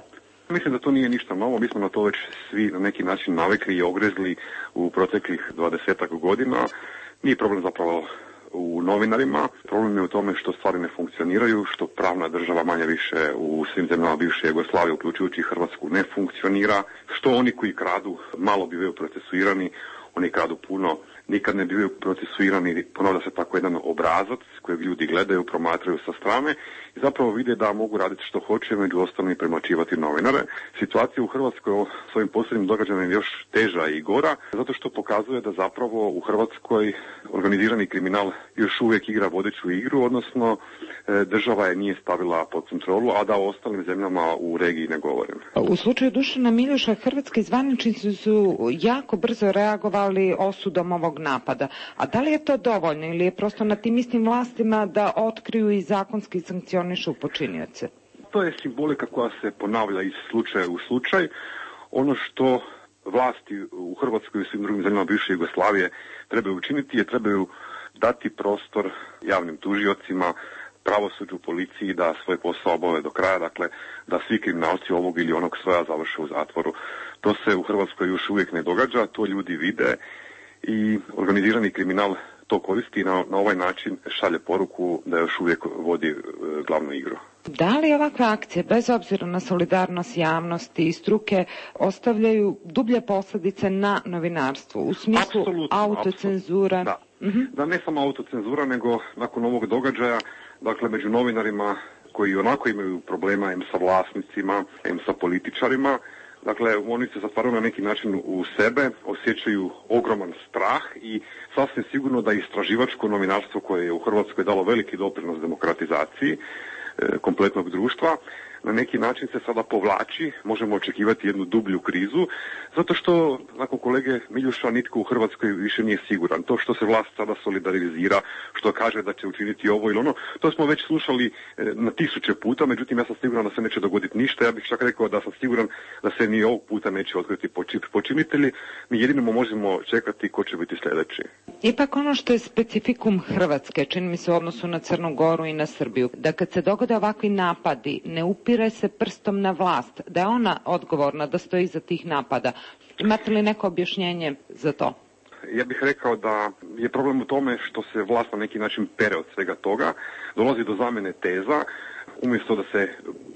Mislim da to nije ništa novo, mi smo na to već svi na neki način navikli i ogrezli u proteklih dvadesetak godina. Nije problem zapravo u novinarima. Problem je u tome što stvari ne funkcioniraju, što pravna država manje više u svim zemljama bivše Jugoslavije, uključujući Hrvatsku, ne funkcionira, što oni koji kradu malo bivaju procesuirani, oni kradu puno, nikad ne bivaju procesuirani, ponavlja se tako jedan obrazac kojeg ljudi gledaju, promatraju sa strane i zapravo vide da mogu raditi što hoće, među ostalim i premlaćivati novinare. Situacija u Hrvatskoj s ovim posljednjim događajem je još teža i gora, zato što pokazuje da zapravo u Hrvatskoj organizirani kriminal još uvijek igra vodeću igru, odnosno država je nije stavila pod kontrolu, a da o ostalim zemljama u regiji ne govorim. U slučaju Dušana Miljuša, hrvatski zvaničnici su jako brzo reagovali osudom ovog napada. A da li je to dovoljno ili je prosto na tim istim vlastima da otkriju i zakonski sankcionišu počinioce? To je simbolika koja se ponavlja iz slučaja u slučaj. Ono što vlasti u Hrvatskoj i svim drugim zemljama bivše Jugoslavije trebaju učiniti je trebaju dati prostor javnim tužiocima, pravosuđu, policiji da svoj posao obave do kraja, dakle da svi kriminalci ovog ili onog svoja završe u zatvoru. To se u Hrvatskoj još uvijek ne događa, to ljudi vide i organizirani kriminal to koristi i na, na ovaj način šalje poruku da još uvijek vodi e, glavnu igru. Da li ovakve akcije, bez obzira na solidarnost javnosti i struke, ostavljaju dublje posljedice na novinarstvo u smislu apsolutno, autocenzura? Apsolutno, da. Uh-huh. Da, ne samo autocenzura, nego nakon ovog događaja, dakle među novinarima koji onako imaju problema em sa vlasnicima, em sa političarima, dakle, oni se zatvaraju na neki način u sebe, osjećaju ogroman strah i sasvim sigurno da istraživačko novinarstvo koje je u Hrvatskoj dalo veliki doprinos demokratizaciji e, kompletnog društva, na neki način se sada povlači, možemo očekivati jednu dublju krizu, zato što, nakon kolege Miljuša, nitko u Hrvatskoj više nije siguran. To što se vlast sada solidarizira, što kaže da će učiniti ovo ili ono, to smo već slušali na tisuće puta, međutim ja sam siguran da se neće dogoditi ništa. Ja bih čak rekao da sam siguran da se ni ovog puta neće otkriti počinitelji. Mi jedino možemo čekati ko će biti sljedeći. Ipak ono što je specifikum Hrvatske, čini mi se u odnosu na Crnu Goru i na Srbiju, da kad se dogode ovakvi napadi, ne upire se prstom na vlast, da je ona odgovorna da stoji iza tih napada. Imate li neko objašnjenje za to? Ja bih rekao da je problem u tome što se vlast na neki način pere od svega toga, dolazi do zamjene teza, umjesto da se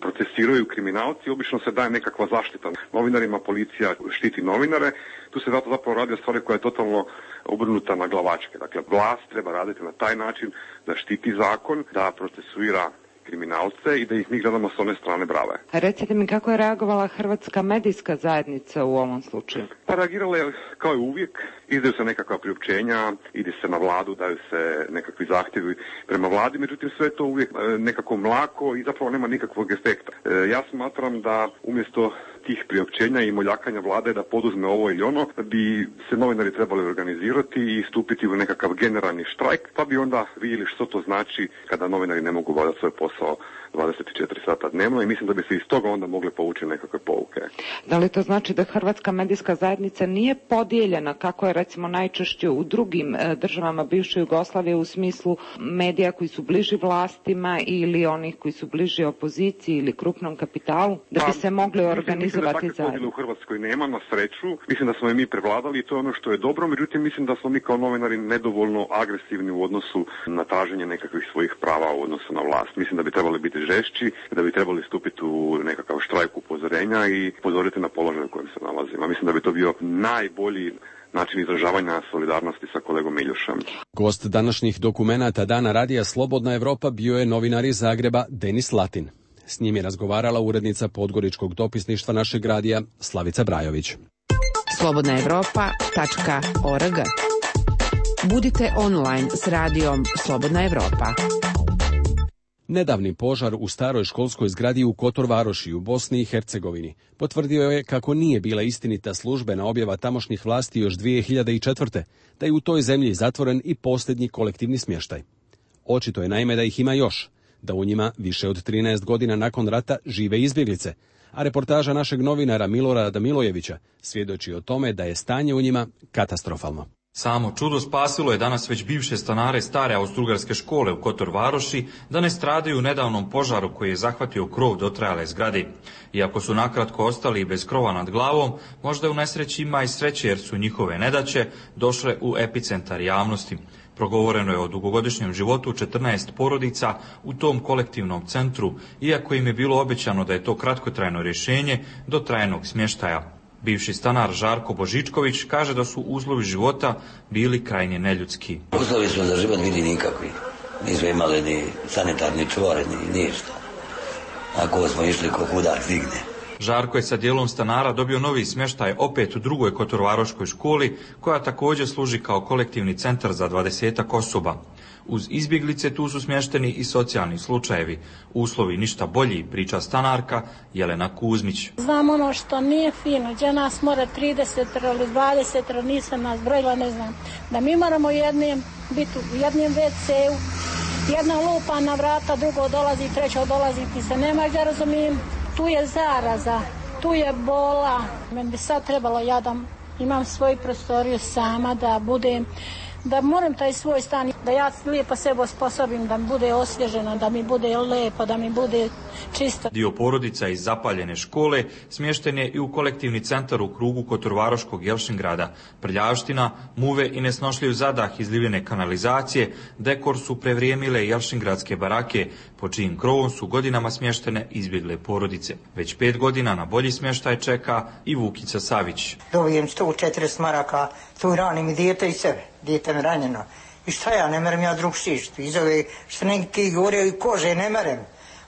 procesiraju kriminalci, obično se daje nekakva zaštita novinarima, policija štiti novinare, tu se zato zapravo radi o stvari koja je totalno obrnuta na glavačke. Dakle, vlast treba raditi na taj način da štiti zakon, da procesuira kriminalce i da ih mi gledamo s one strane brave. A recite mi kako je reagovala hrvatska medijska zajednica u ovom slučaju? Pa reagirala je kao i uvijek, izdaju se nekakva priopćenja, ide se na vladu, daju se nekakvi zahtjevi prema vladi, međutim sve je to uvijek nekako mlako i zapravo nema nikakvog efekta. Ja smatram da umjesto tih priopćenja i moljakanja vlade da poduzme ovo ili ono, bi se novinari trebali organizirati i stupiti u nekakav generalni štrajk, pa bi onda vidjeli što to znači kada novinari ne mogu obavljati svoj posao dvadeset četiri sata dnevno i mislim da bi se iz toga onda mogle povući nekakve pouke. Da li to znači da hrvatska medijska zajednica nije podijeljena kako je recimo najčešće u drugim državama bivše Jugoslavije u smislu medija koji su bliži vlastima ili onih koji su bliži opoziciji ili krupnom kapitalu, da bi se mogli organizovati zajedno? Mislim da u Hrvatskoj nema, na sreću. Mislim da smo je mi prevladali i to je ono što je dobro, međutim mislim da smo mi kao novinari nedovoljno agresivni u odnosu na traženje nekakvih svojih prava u odnosu na vlast. Mislim da bi trebali biti žešći, da bi trebali stupiti u nekakav štrajk upozorenja i upozoriti na položaj u kojem se nalazimo. Mislim da bi to bio najbolji način izražavanja solidarnosti sa kolegom Miljušem. Gost današnjih dokumenata Dana radija Slobodna Evropa bio je novinar iz Zagreba Denis Latin. S njim je razgovarala urednica podgoričkog dopisništva našeg radija Slavica Brajović. slobodna evropa tačka org. Budite online s radijom Slobodna Evropa. Nedavni požar u staroj školskoj zgradi u Kotor Varoši u Bosni i Hercegovini potvrdio je kako nije bila istinita službena objava tamošnjih vlasti još dvije hiljade četvrte. da je u toj zemlji zatvoren i posljednji kolektivni smještaj. Očito je naime da ih ima još, da u njima više od trinaest godina nakon rata žive izbjeglice, a reportaža našeg novinara Milorada Milojevića svjedoči o tome da je stanje u njima katastrofalno. Samo čudo spasilo je danas već bivše stanare stare austrougarske škole u Kotor Varoši da ne stradaju u nedavnom požaru koji je zahvatio krov dotrajale zgrade. Iako su nakratko ostali bez krova nad glavom, možda u nesreći ima i sreće jer su njihove nedaće došle u epicentar javnosti. Progovoreno je o dugogodišnjem životu četrnaest porodica u tom kolektivnom centru, iako im je bilo obećano da je to kratkotrajno rješenje do trajnog smještaja. Bivši stanar Žarko Božičković kaže da su uslovi života bili krajnje neljudski. Uslovi smo za život bili nikakvi. Nismo imali ni sanitarni čvor, ni ništa. Ako smo išli ko kuda stigne. Žarko je sa dijelom stanara dobio novi smještaj opet u drugoj kotorvaroškoj školi, koja također služi kao kolektivni centar za dvadesetak osoba. Uz izbjeglice tu su smješteni i socijalni slučajevi. Uslovi ništa bolji, priča stanarka Jelena Kuzmić. Znam ono što nije fino, gdje nas mora trideset ili dvadeset, nisam nas brojila, ne znam. Da mi moramo jednim biti u jednom ve ce u, jedna lupa na vrata, drugo dolazi, treće dolazi, ti se nema gdje razumijem. Tu je zaraza, tu je bola. Meni bi sad trebalo, ja da imam svoju prostoriju sama, da budem, da moram taj svoj stan, da ja lijepo sebe osposobim, da mi bude osvježeno, da mi bude lijepo, da mi bude čisto. Dio porodica iz zapaljene škole smješten je i u kolektivni centar u krugu Kotorvaroškog Jelšingrada. Prljavština, muve i nesnošljiv zadah izlivene kanalizacije dekor su prevrijemile jelšingradske barake, po čijim krovom su godinama smještene izbjegle porodice. Već pet godina na bolji smještaj čeka i Vukica Savić. Dobijem sto četrdeset maraka, tu ranim i dijete i sebe, dijete mi ranjeno. I šta ja, ne merem ja drug šišt, iz ove što neki govore i kože, ne merem.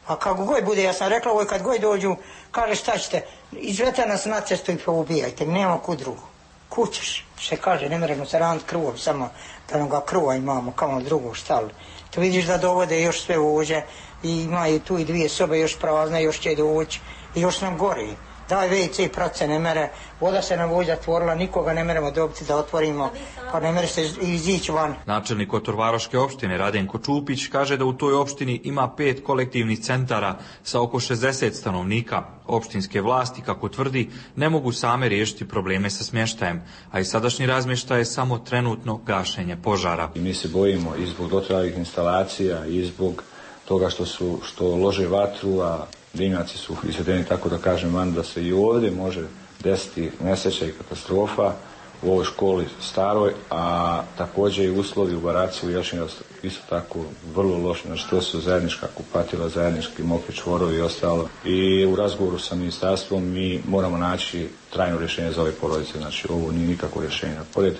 A kako god bude, ja sam rekla, ovoj kad god dođu, kaže šta ćete, izvete nas na cestu i poubijajte, nema kud drugo. kućeš, se kaže, ne moramo se raniti kruvom, samo da onoga kruva imamo kao drugu štalu. To vidiš da dovode još sve uđe i imaju tu i dvije sobe još prazne, još će doći i još nam gori. Daj ve ce prace ne mere, voda se nam vođa otvorila, nikoga ne meremo dobiti da otvorimo, pa ne mere se izići van. Načelnik Kotorvaroške opštine Radenko Čupić kaže da u toj opštini ima pet kolektivnih centara sa oko šezdeset stanovnika. Opštinske vlasti, kako tvrdi, ne mogu same riješiti probleme sa smještajem, a i sadašnji razmještaj je samo trenutno gašenje požara. I mi se bojimo i zbog dotrajalih instalacija i zbog toga što su što lože vatru, a dimnjaci su izvedeni, tako da kažem van, da se i ovdje može desiti nesreća i katastrofa u ovoj školi staroj, a također i uslovi u baraci u Jelšinu isto tako vrlo loši, znači to su zajednička kupatila, zajednički mokri čvorovi i ostalo. I u razgovoru sa ministarstvom mi moramo naći trajno rješenje za ove porodice, znači ovo nije nikakvo rješenje. Pored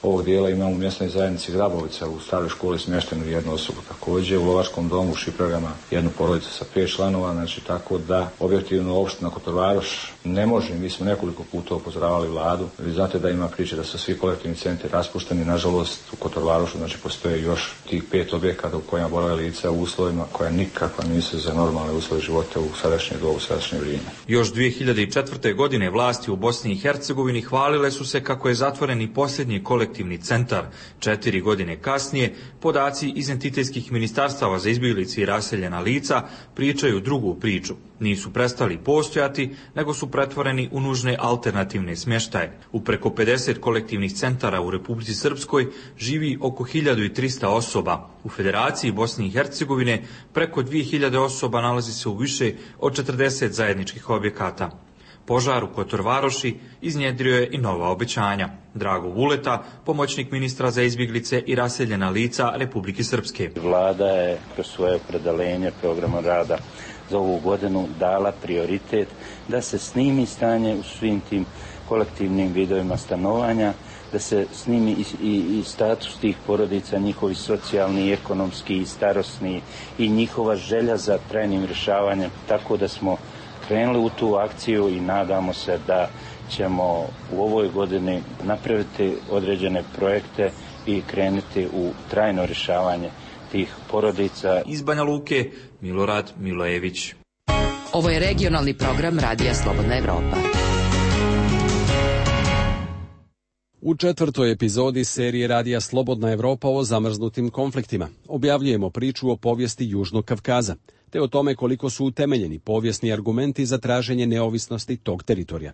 ovog dijela imamo u mjesnoj zajednici Grabovica u staroj školi smještenu jednu osobu, također u Lovačkom domu u Šipragama jednu porodicu sa pet članova, znači tako da objektivno opština Kotorvaroš ne može, mi smo nekoliko puta upozoravali vladu, vi znate da ima priče da su svi kolektivni centri raspušteni, nažalost u Kotorvarošu znači postoje još tih pet objekata u kojima borave lica u uslovima koja nikakva nisu za normalne uslove života u sadašnje dobu, u sadašnje vrijeme. Još dvije hiljade četvrte. godine vlasti u Bosni i Hercegovini hvalile su se kako je zatvoren i posljednji kolektivni centar. Četiri godine kasnije, podaci iz entitetskih ministarstava za izbjeglice i raseljena lica pričaju drugu priču. Nisu prestali postojati, nego su pretvoreni u nužne alternativne smještaje. U preko pedeset kolektivnih centara u Republici Srpskoj živi oko hiljadu trista osoba. U Federaciji Bosne i Hercegovine preko dvije hiljade osoba nalazi se u više od četrdeset zajedničkih objekata. Požar u Kotorvaroši iznjedrio je i nova obećanja. Drago Vuleta, pomoćnik ministra za izbjeglice i raseljena lica Republike Srpske. Vlada je kroz svoje opredeljenje programa rada za ovu godinu dala prioritet da se snimi stanje u svim tim kolektivnim vidovima stanovanja, da se snimi i, i, i status tih porodica, njihovi socijalni, ekonomski i starosni i njihova želja za trajnim rješavanjem, tako da smo krenuli u tu akciju i nadamo se da ćemo u ovoj godini napraviti određene projekte i krenuti u trajno rješavanje tih porodica. Iz Banja Luke, Milorad Milojević. Ovo je regionalni program Radija Slobodna Evropa. U četvrtoj epizodi serije Radija Slobodna Evropa o zamrznutim konfliktima objavljujemo priču o povijesti Južnog Kavkaza, te o tome koliko su utemeljeni povijesni argumenti za traženje neovisnosti tog teritorija.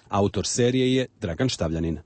Autor serije je Dragan Štavljanin.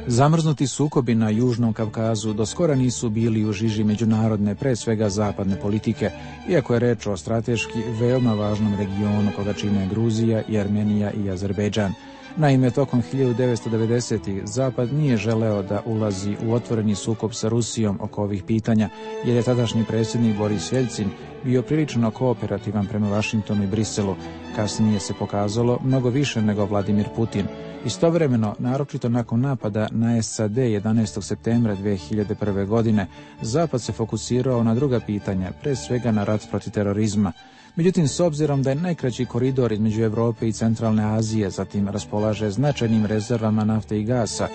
Zamrznuti sukobi na Južnom Kavkazu do skora nisu bili u žiži međunarodne, pre svega zapadne politike, iako je reč o strateški veoma važnom regionu koga čine Gruzija i Armenija i Azerbejdžan. Naime, tokom hiljadu devetsto devedesetih Zapad nije želeo da ulazi u otvoreni sukob sa Rusijom oko ovih pitanja, jer je tadašnji predsjednik Boris Jeljcin bio prilično kooperativan prema Vašingtonu i Briselu. Kasnije se pokazalo mnogo više nego Vladimir Putin. Istovremeno, naročito nakon napada na es a de jedanaestog septembra dve hiljade prve. godine, Zapad se fokusirao na druga pitanja, pre svega na rat protiv terorizma. Međutim, s obzirom da je najkraći koridor između Europe i Centralne Azije, zatim raspolaže značajnim rezervama nafte i gasa,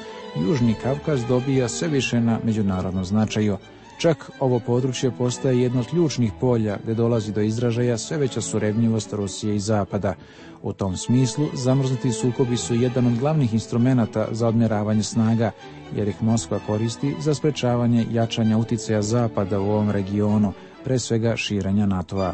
Južni Kavkaz dobija sve više na međunarodnom značaju. Čak ovo područje postaje jedno od ključnih polja gdje dolazi do izražaja sve veća surevnjivost Rusije i Zapada. U tom smislu, zamrznuti sukobi su jedan od glavnih instrumenata za odmjeravanje snaga, jer ih Moskva koristi za sprečavanje jačanja uticaja Zapada u ovom regionu, pre svega širenja NATO-a.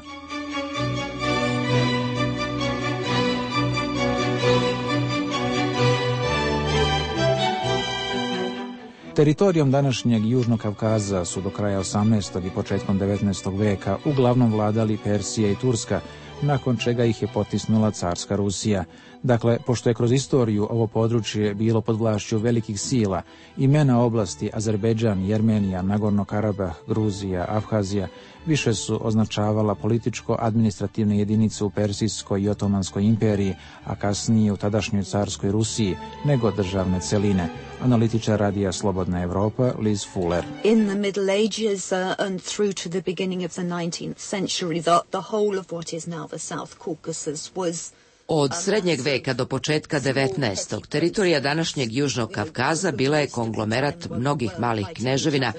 Teritorijom današnjeg Južnog Kavkaza su do kraja osamnaestog i početkom devetnaestog veka uglavnom vladali Persija i Turska, nakon čega ih je potisnula carska Rusija. Dakle, pošto je kroz istoriju ovo područje bilo pod vlašću velikih sila, imena oblasti Azerbejdžan, Jermenija, Nagorno Karabah, Gruzija, Abhazija više su označavala političko-administrativne jedinice u Persijskoj i Otomanskoj imperiji, a kasnije u tadašnjoj carskoj Rusiji, nego državne celine. Analitičar radija Slobodna Evropa, Liz Fuller. In the Middle Ages uh, and through to the beginning of the nineteenth century, the, the whole of what is now the South Caucasus was Od srednjeg veka do početka devetnaestog. teritorija današnjeg Južnog Kavkaza bila je konglomerat mnogih malih kneževina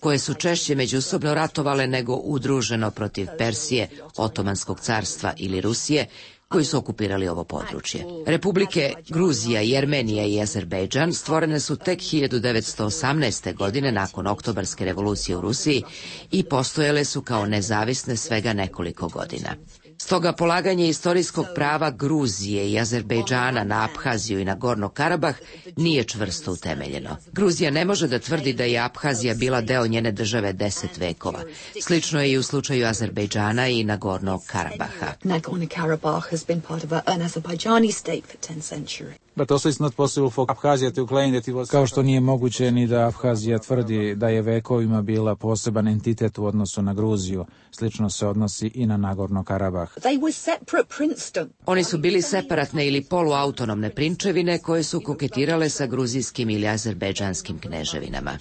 koje su češće međusobno ratovale nego udruženo protiv Persije, Otomanskog carstva ili Rusije, koji su okupirali ovo područje. Republike Gruzija, Jermenija i Azerbejdžan stvorene su tek hiljadu devetsto osamnaeste. godine nakon Oktobarske revolucije u Rusiji i postojale su kao nezavisne svega nekoliko godina. Stoga polaganje istorijskog prava Gruzije i Azerbejdžana na Abhaziju i na Gorno Karabah nije čvrsto utemeljeno. Gruzija ne može da tvrdi da je Abhazija bila deo njene države deset vekova. Slično je i u slučaju Azerbejdžana i Nagorno Karabaha. Nagorno-Karabakh has been part of a, an Azerbaijani state for ten centuries. But also it's not possible for Abkhazia to claim that it was... Kao što nije moguće ni da Abhazija tvrdi da je vekovima bila poseban entitet u odnosu na Gruziju. Slično se odnosi i na Nagorno Karabah. They were separate princedom. Oni su bili separatne ili poluautonomne prinčevine koje su koketirale sa gruzijskim ili azerbejdžanskim kneževinama.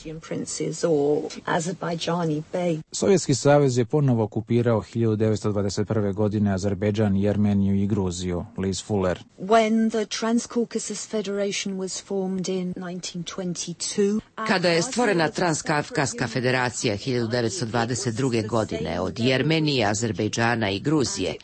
Sovjetski savez je ponovo okupirao hiljadu devetsto dvadeset prve. godine Azerbejdžan, Jermeniju i Gruziju. Liz Fuller. When the Trans-Caucasus Federation was formed in nineteen twenty-two. Kada je stvorena Transkavkaska federacija hiljadu devetsto dvadeset druge. godine od Jermenije, Azerbejdžana i Gruzije,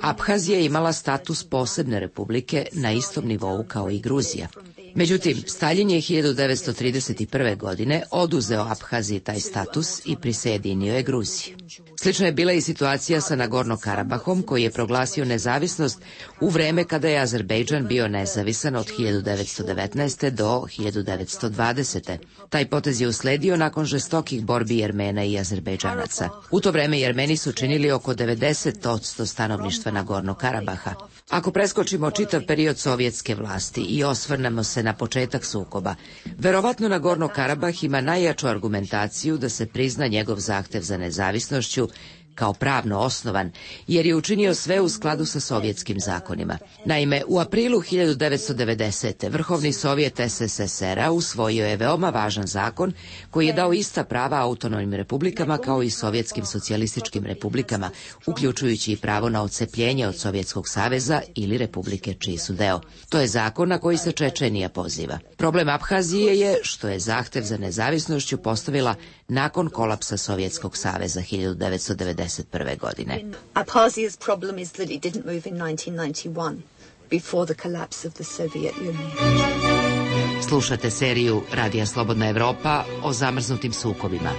Abhazija je imala status posebne republike na istom nivou kao i Gruzija. Međutim, Staljin je hiljadu devetsto trideset prve. godine oduzeo Abhaziji taj status i prisjedinio je Gruziju. Slično je bila i situacija sa Nagorno Karabahom, koji je proglasio nezavisnost u vreme kada je Azerbejdžan bio nezavisan od hiljadu devetsto devetnaeste. do hiljadu devetsto dvadesete. Taj potez je usledio nakon žestokih borbi Jermena i Azerbejdžanaca. U to vreme Jermeni su činili oko devedeset posto stanovništva Nagorno Karabaha. Ako preskočimo čitav period sovjetske vlasti i osvrnemo se na početak sukoba, verovatno Nagorno Karabah ima najjaču argumentaciju da se prizna njegov zahtev za nezavisnošću kao pravno osnovan, jer je učinio sve u skladu sa sovjetskim zakonima. Naime, u aprilu hiljadu devetsto devedesete. Vrhovni sovjet es es es er-a usvojio je veoma važan zakon koji je dao ista prava autonomnim republikama kao i sovjetskim socijalističkim republikama, uključujući i pravo na odcepljenje od Sovjetskog saveza ili republike čiji su deo. To je zakon na koji se Čečenija poziva. Problem Abhazije je što je zahtev za nezavisnošću postavila nakon kolapsa Sovjetskog saveza hiljadu devetsto devedeset prve. godine. Abhazia's problem is that it didn't move in nineteen ninety-one, before the collapse of the Soviet Union. Slušate seriju Radija Slobodna Evropa o zamrznutim sukobima.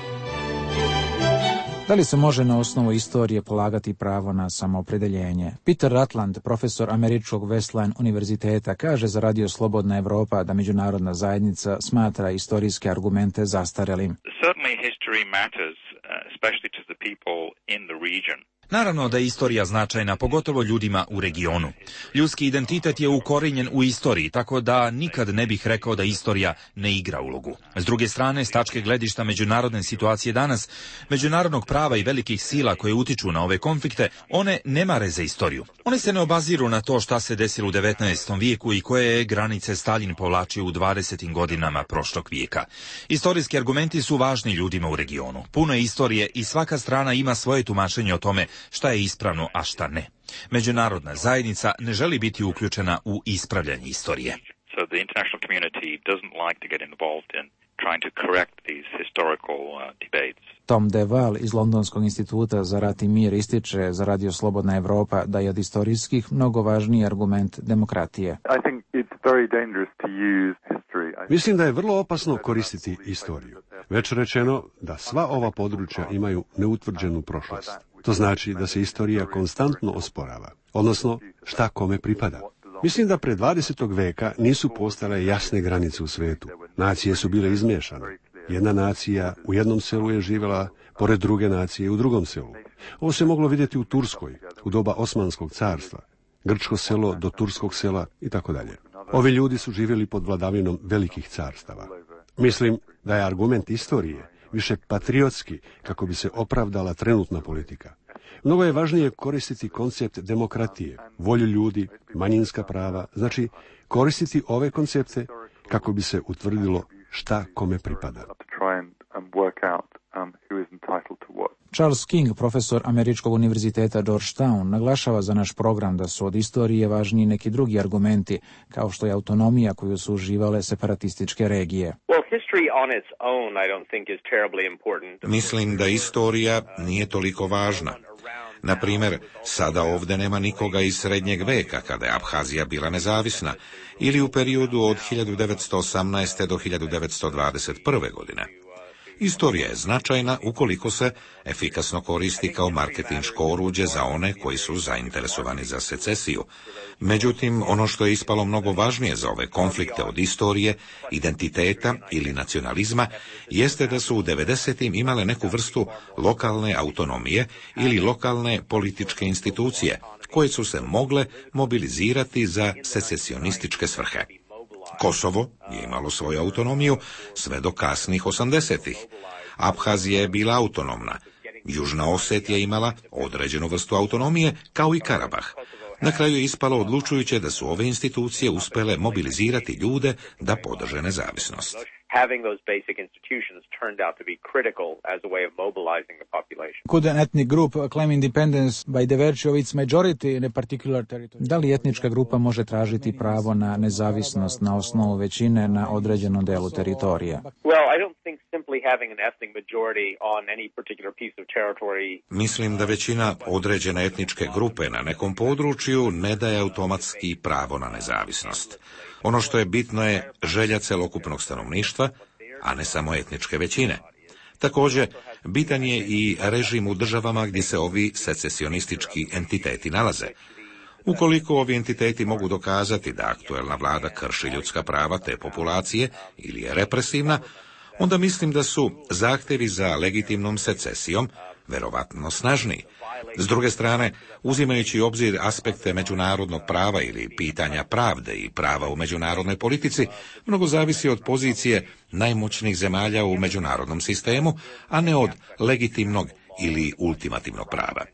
Da li se može na osnovu istorije polagati pravo na samoopredeljenje? Peter Rutland, profesor Američkog Wesleyan univerziteta, kaže za Radio Slobodna Evropa da međunarodna zajednica smatra istorijske argumente zastarelim. Certainly history matters, especially to the people in the region. Naravno da je istorija značajna, pogotovo ljudima u regionu. Ljudski identitet je ukorenjen u istoriji, tako da nikad ne bih rekao da istorija ne igra ulogu. S druge strane, s tačke gledišta međunarodne situacije danas, međunarodnog prava i velikih sila koje utiču na ove konflikte, one ne mare za istoriju. One se ne obaziru na to šta se desilo u devetnaestom vijeku i koje je granice Staljin povlačio u dvadesetim godinama prošlog vijeka. Istorijski argumenti su važni ljudima u regionu. Puno je istorije i svaka strana ima svoje tumačenje o tome šta je ispravno, a šta ne. Međunarodna zajednica ne želi biti uključena u ispravljanje istorije. So the international community doesn't like to get involved in trying to correct these historical uh, debates. Tom DeVal iz Londonskog instituta za rat i mir ističe za Radio Slobodna Evropa da je od istorijskih mnogo važniji argument demokratije. I think it's very dangerous to use history. Mislim da je vrlo opasno koristiti istoriju. Već rečeno da sva ova područja imaju neutvrđenu prošlost. To znači da se istorija konstantno osporava, odnosno šta kome pripada. Mislim da pre dvadesetog veka nisu postale jasne granice u svetu. Nacije su bile izmiješane. Jedna nacija u jednom selu je živjela pored druge nacije u drugom selu. Ovo se moglo vidjeti u Turskoj, u doba Osmanskog carstva. grčko selo do turskog sela i tako dalje. Ovi ljudi su živjeli pod vladavinom velikih carstava. Mislim da je argument istorije više patriotski kako bi se opravdala trenutna politika. Mnogo je važnije koristiti koncept demokratije, volju ljudi, manjinska prava, znači koristiti ove koncepte kako bi se utvrdilo šta kome pripada. Charles King, profesor Američkog univerziteta Georgetown, naglašava za naš program da su od istorije važniji neki drugi argumenti, kao što je autonomija koju su uživale separatističke regije. Mislim da istorija nije toliko važna. Na primjer, sada ovdje nema nikoga iz srednjeg veka, kada je Abhazija bila nezavisna, ili u periodu od hiljadu devetsto osamnaeste. do hiljadu devetsto dvadeset prve. godine. Istorija je značajna ukoliko se efikasno koristi kao marketinško oruđe za one koji su zainteresovani za secesiju. Međutim, ono što je ispalo mnogo važnije za ove konflikte od istorije, identiteta ili nacionalizma, jeste da su u devedesetim imale neku vrstu lokalne autonomije ili lokalne političke institucije, koje su se mogle mobilizirati za secesionističke svrhe. Kosovo je imalo svoju autonomiju sve do kasnih osamdesetih. Abhazija je bila autonomna. Južna Osetija je imala određenu vrstu autonomije, kao i Karabah. Na kraju je ispalo odlučujuće da su ove institucije uspjele mobilizirati ljude da podrže nezavisnost. Could an ethnic group claim independence by the virtue of its majority in a particular territory? Da li etnička grupa može tražiti pravo na nezavisnost na osnovu većine na određenom delu teritorija? Mislim da većina određene etničke grupe na nekom području ne daje automatski pravo na nezavisnost. Ono što je bitno je želja celokupnog stanovništva, a ne samo etničke većine. Također, bitan je i režim u državama gdje se ovi secesionistički entiteti nalaze. Ukoliko ovi entiteti mogu dokazati da aktuelna vlada krši ljudska prava te populacije ili je represivna, onda mislim da su zahtjevi za legitimnom secesijom verovatno snažniji. S druge strane, uzimajući u obzir aspekte međunarodnog prava ili pitanja pravde i prava u međunarodnoj politici, mnogo zavisi od pozicije najmoćnijih zemalja u međunarodnom sistemu, a ne od legitimnog ili ultimativnog prava.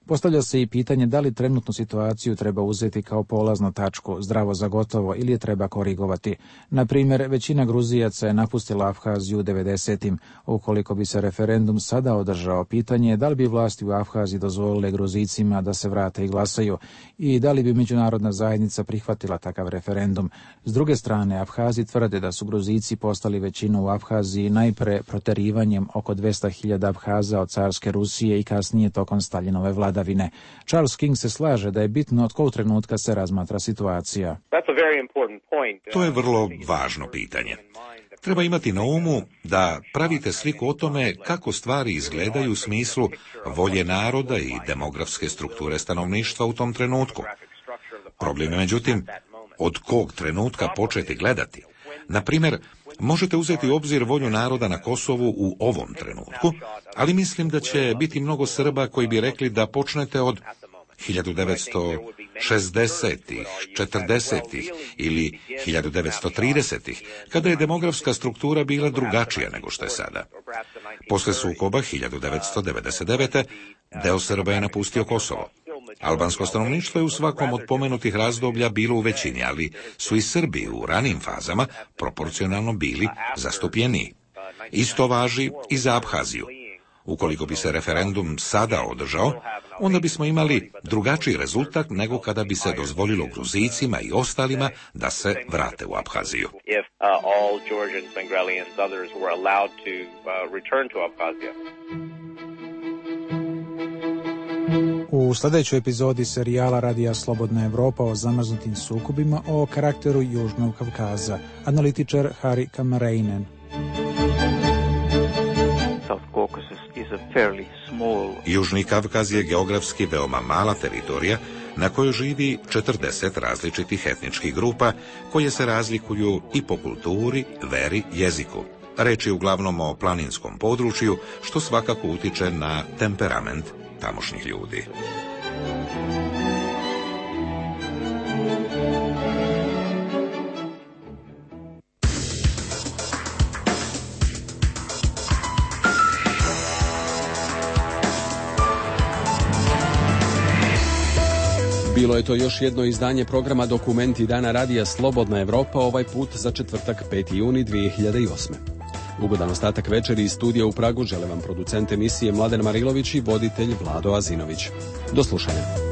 Postavlja se i pitanje da li trenutnu situaciju treba uzeti kao polaznu tačku, zdravo za gotovo, ili je treba korigovati. Na primjer, većina Gruzijaca je napustila Abhaziju u devedesetim. Ukoliko bi se referendum sada održao, pitanje je da li bi vlasti u Abhaziji dozvolile Gruzicima da se vrate i glasaju i da li bi međunarodna zajednica prihvatila takav referendum. S druge strane, Abhazi tvrde da su Gruzici postali većinu u Abhaziji najpre proterivanjem oko dvesta hiljada Abhaza od carske Rusije i kasnije tokom Staljinove vladavine. Charles King se slaže da je bitno od kojeg trenutka se razmatra situacija. To je vrlo važno pitanje. Treba imati na umu da pravite sliku o tome kako stvari izgledaju u smislu volje naroda i demografske strukture stanovništva u tom trenutku. Problem je, međutim, od kog trenutka početi gledati. Na primjer, možete uzeti u obzir volju naroda na Kosovu u ovom trenutku, ali mislim da će biti mnogo Srba koji bi rekli da počnete od hiljadu devetsto šezdesetih, četrdesetih ili hiljadu devetsto tridesetih, kada je demografska struktura bila drugačija nego što je sada. Posle sukoba hiljadu devetsto devedeset devete. deo Srba je napustio Kosovo. Albansko stanovništvo je u svakom od pomenutih razdoblja bilo u većini, ali su i Srbi u ranim fazama proporcionalno bili zastupljeniji. Isto važi i za Abhaziju. Ukoliko bi se referendum sada održao, onda bismo imali drugačiji rezultat nego kada bi se dozvolilo Gruzicima i ostalima da se vrate u Abhaziju. U sljedećoj epizodi serijala Radija Slobodna Evropa o zamrznutim sukobima o karakteru Južnog Kavkaza, analitičar Hari Kamarainen. Južni Kavkaz je geografski veoma mala teritorija na kojoj živi četrdeset različitih etničkih grupa koje se razlikuju i po kulturi, veri, jeziku. Reč je uglavnom o planinskom području, što svakako utiče na temperament tamošnjih ljudi. Bilo je to još jedno izdanje programa Dokumenti Dana radija Slobodna Evropa, ovaj put za četvrtak peti juni dvije hiljade osme. Ugodan ostatak večeri iz studija u Pragu žele vam producent emisije Mladen Marilović i voditelj Vlado Azinović. Do slušanja.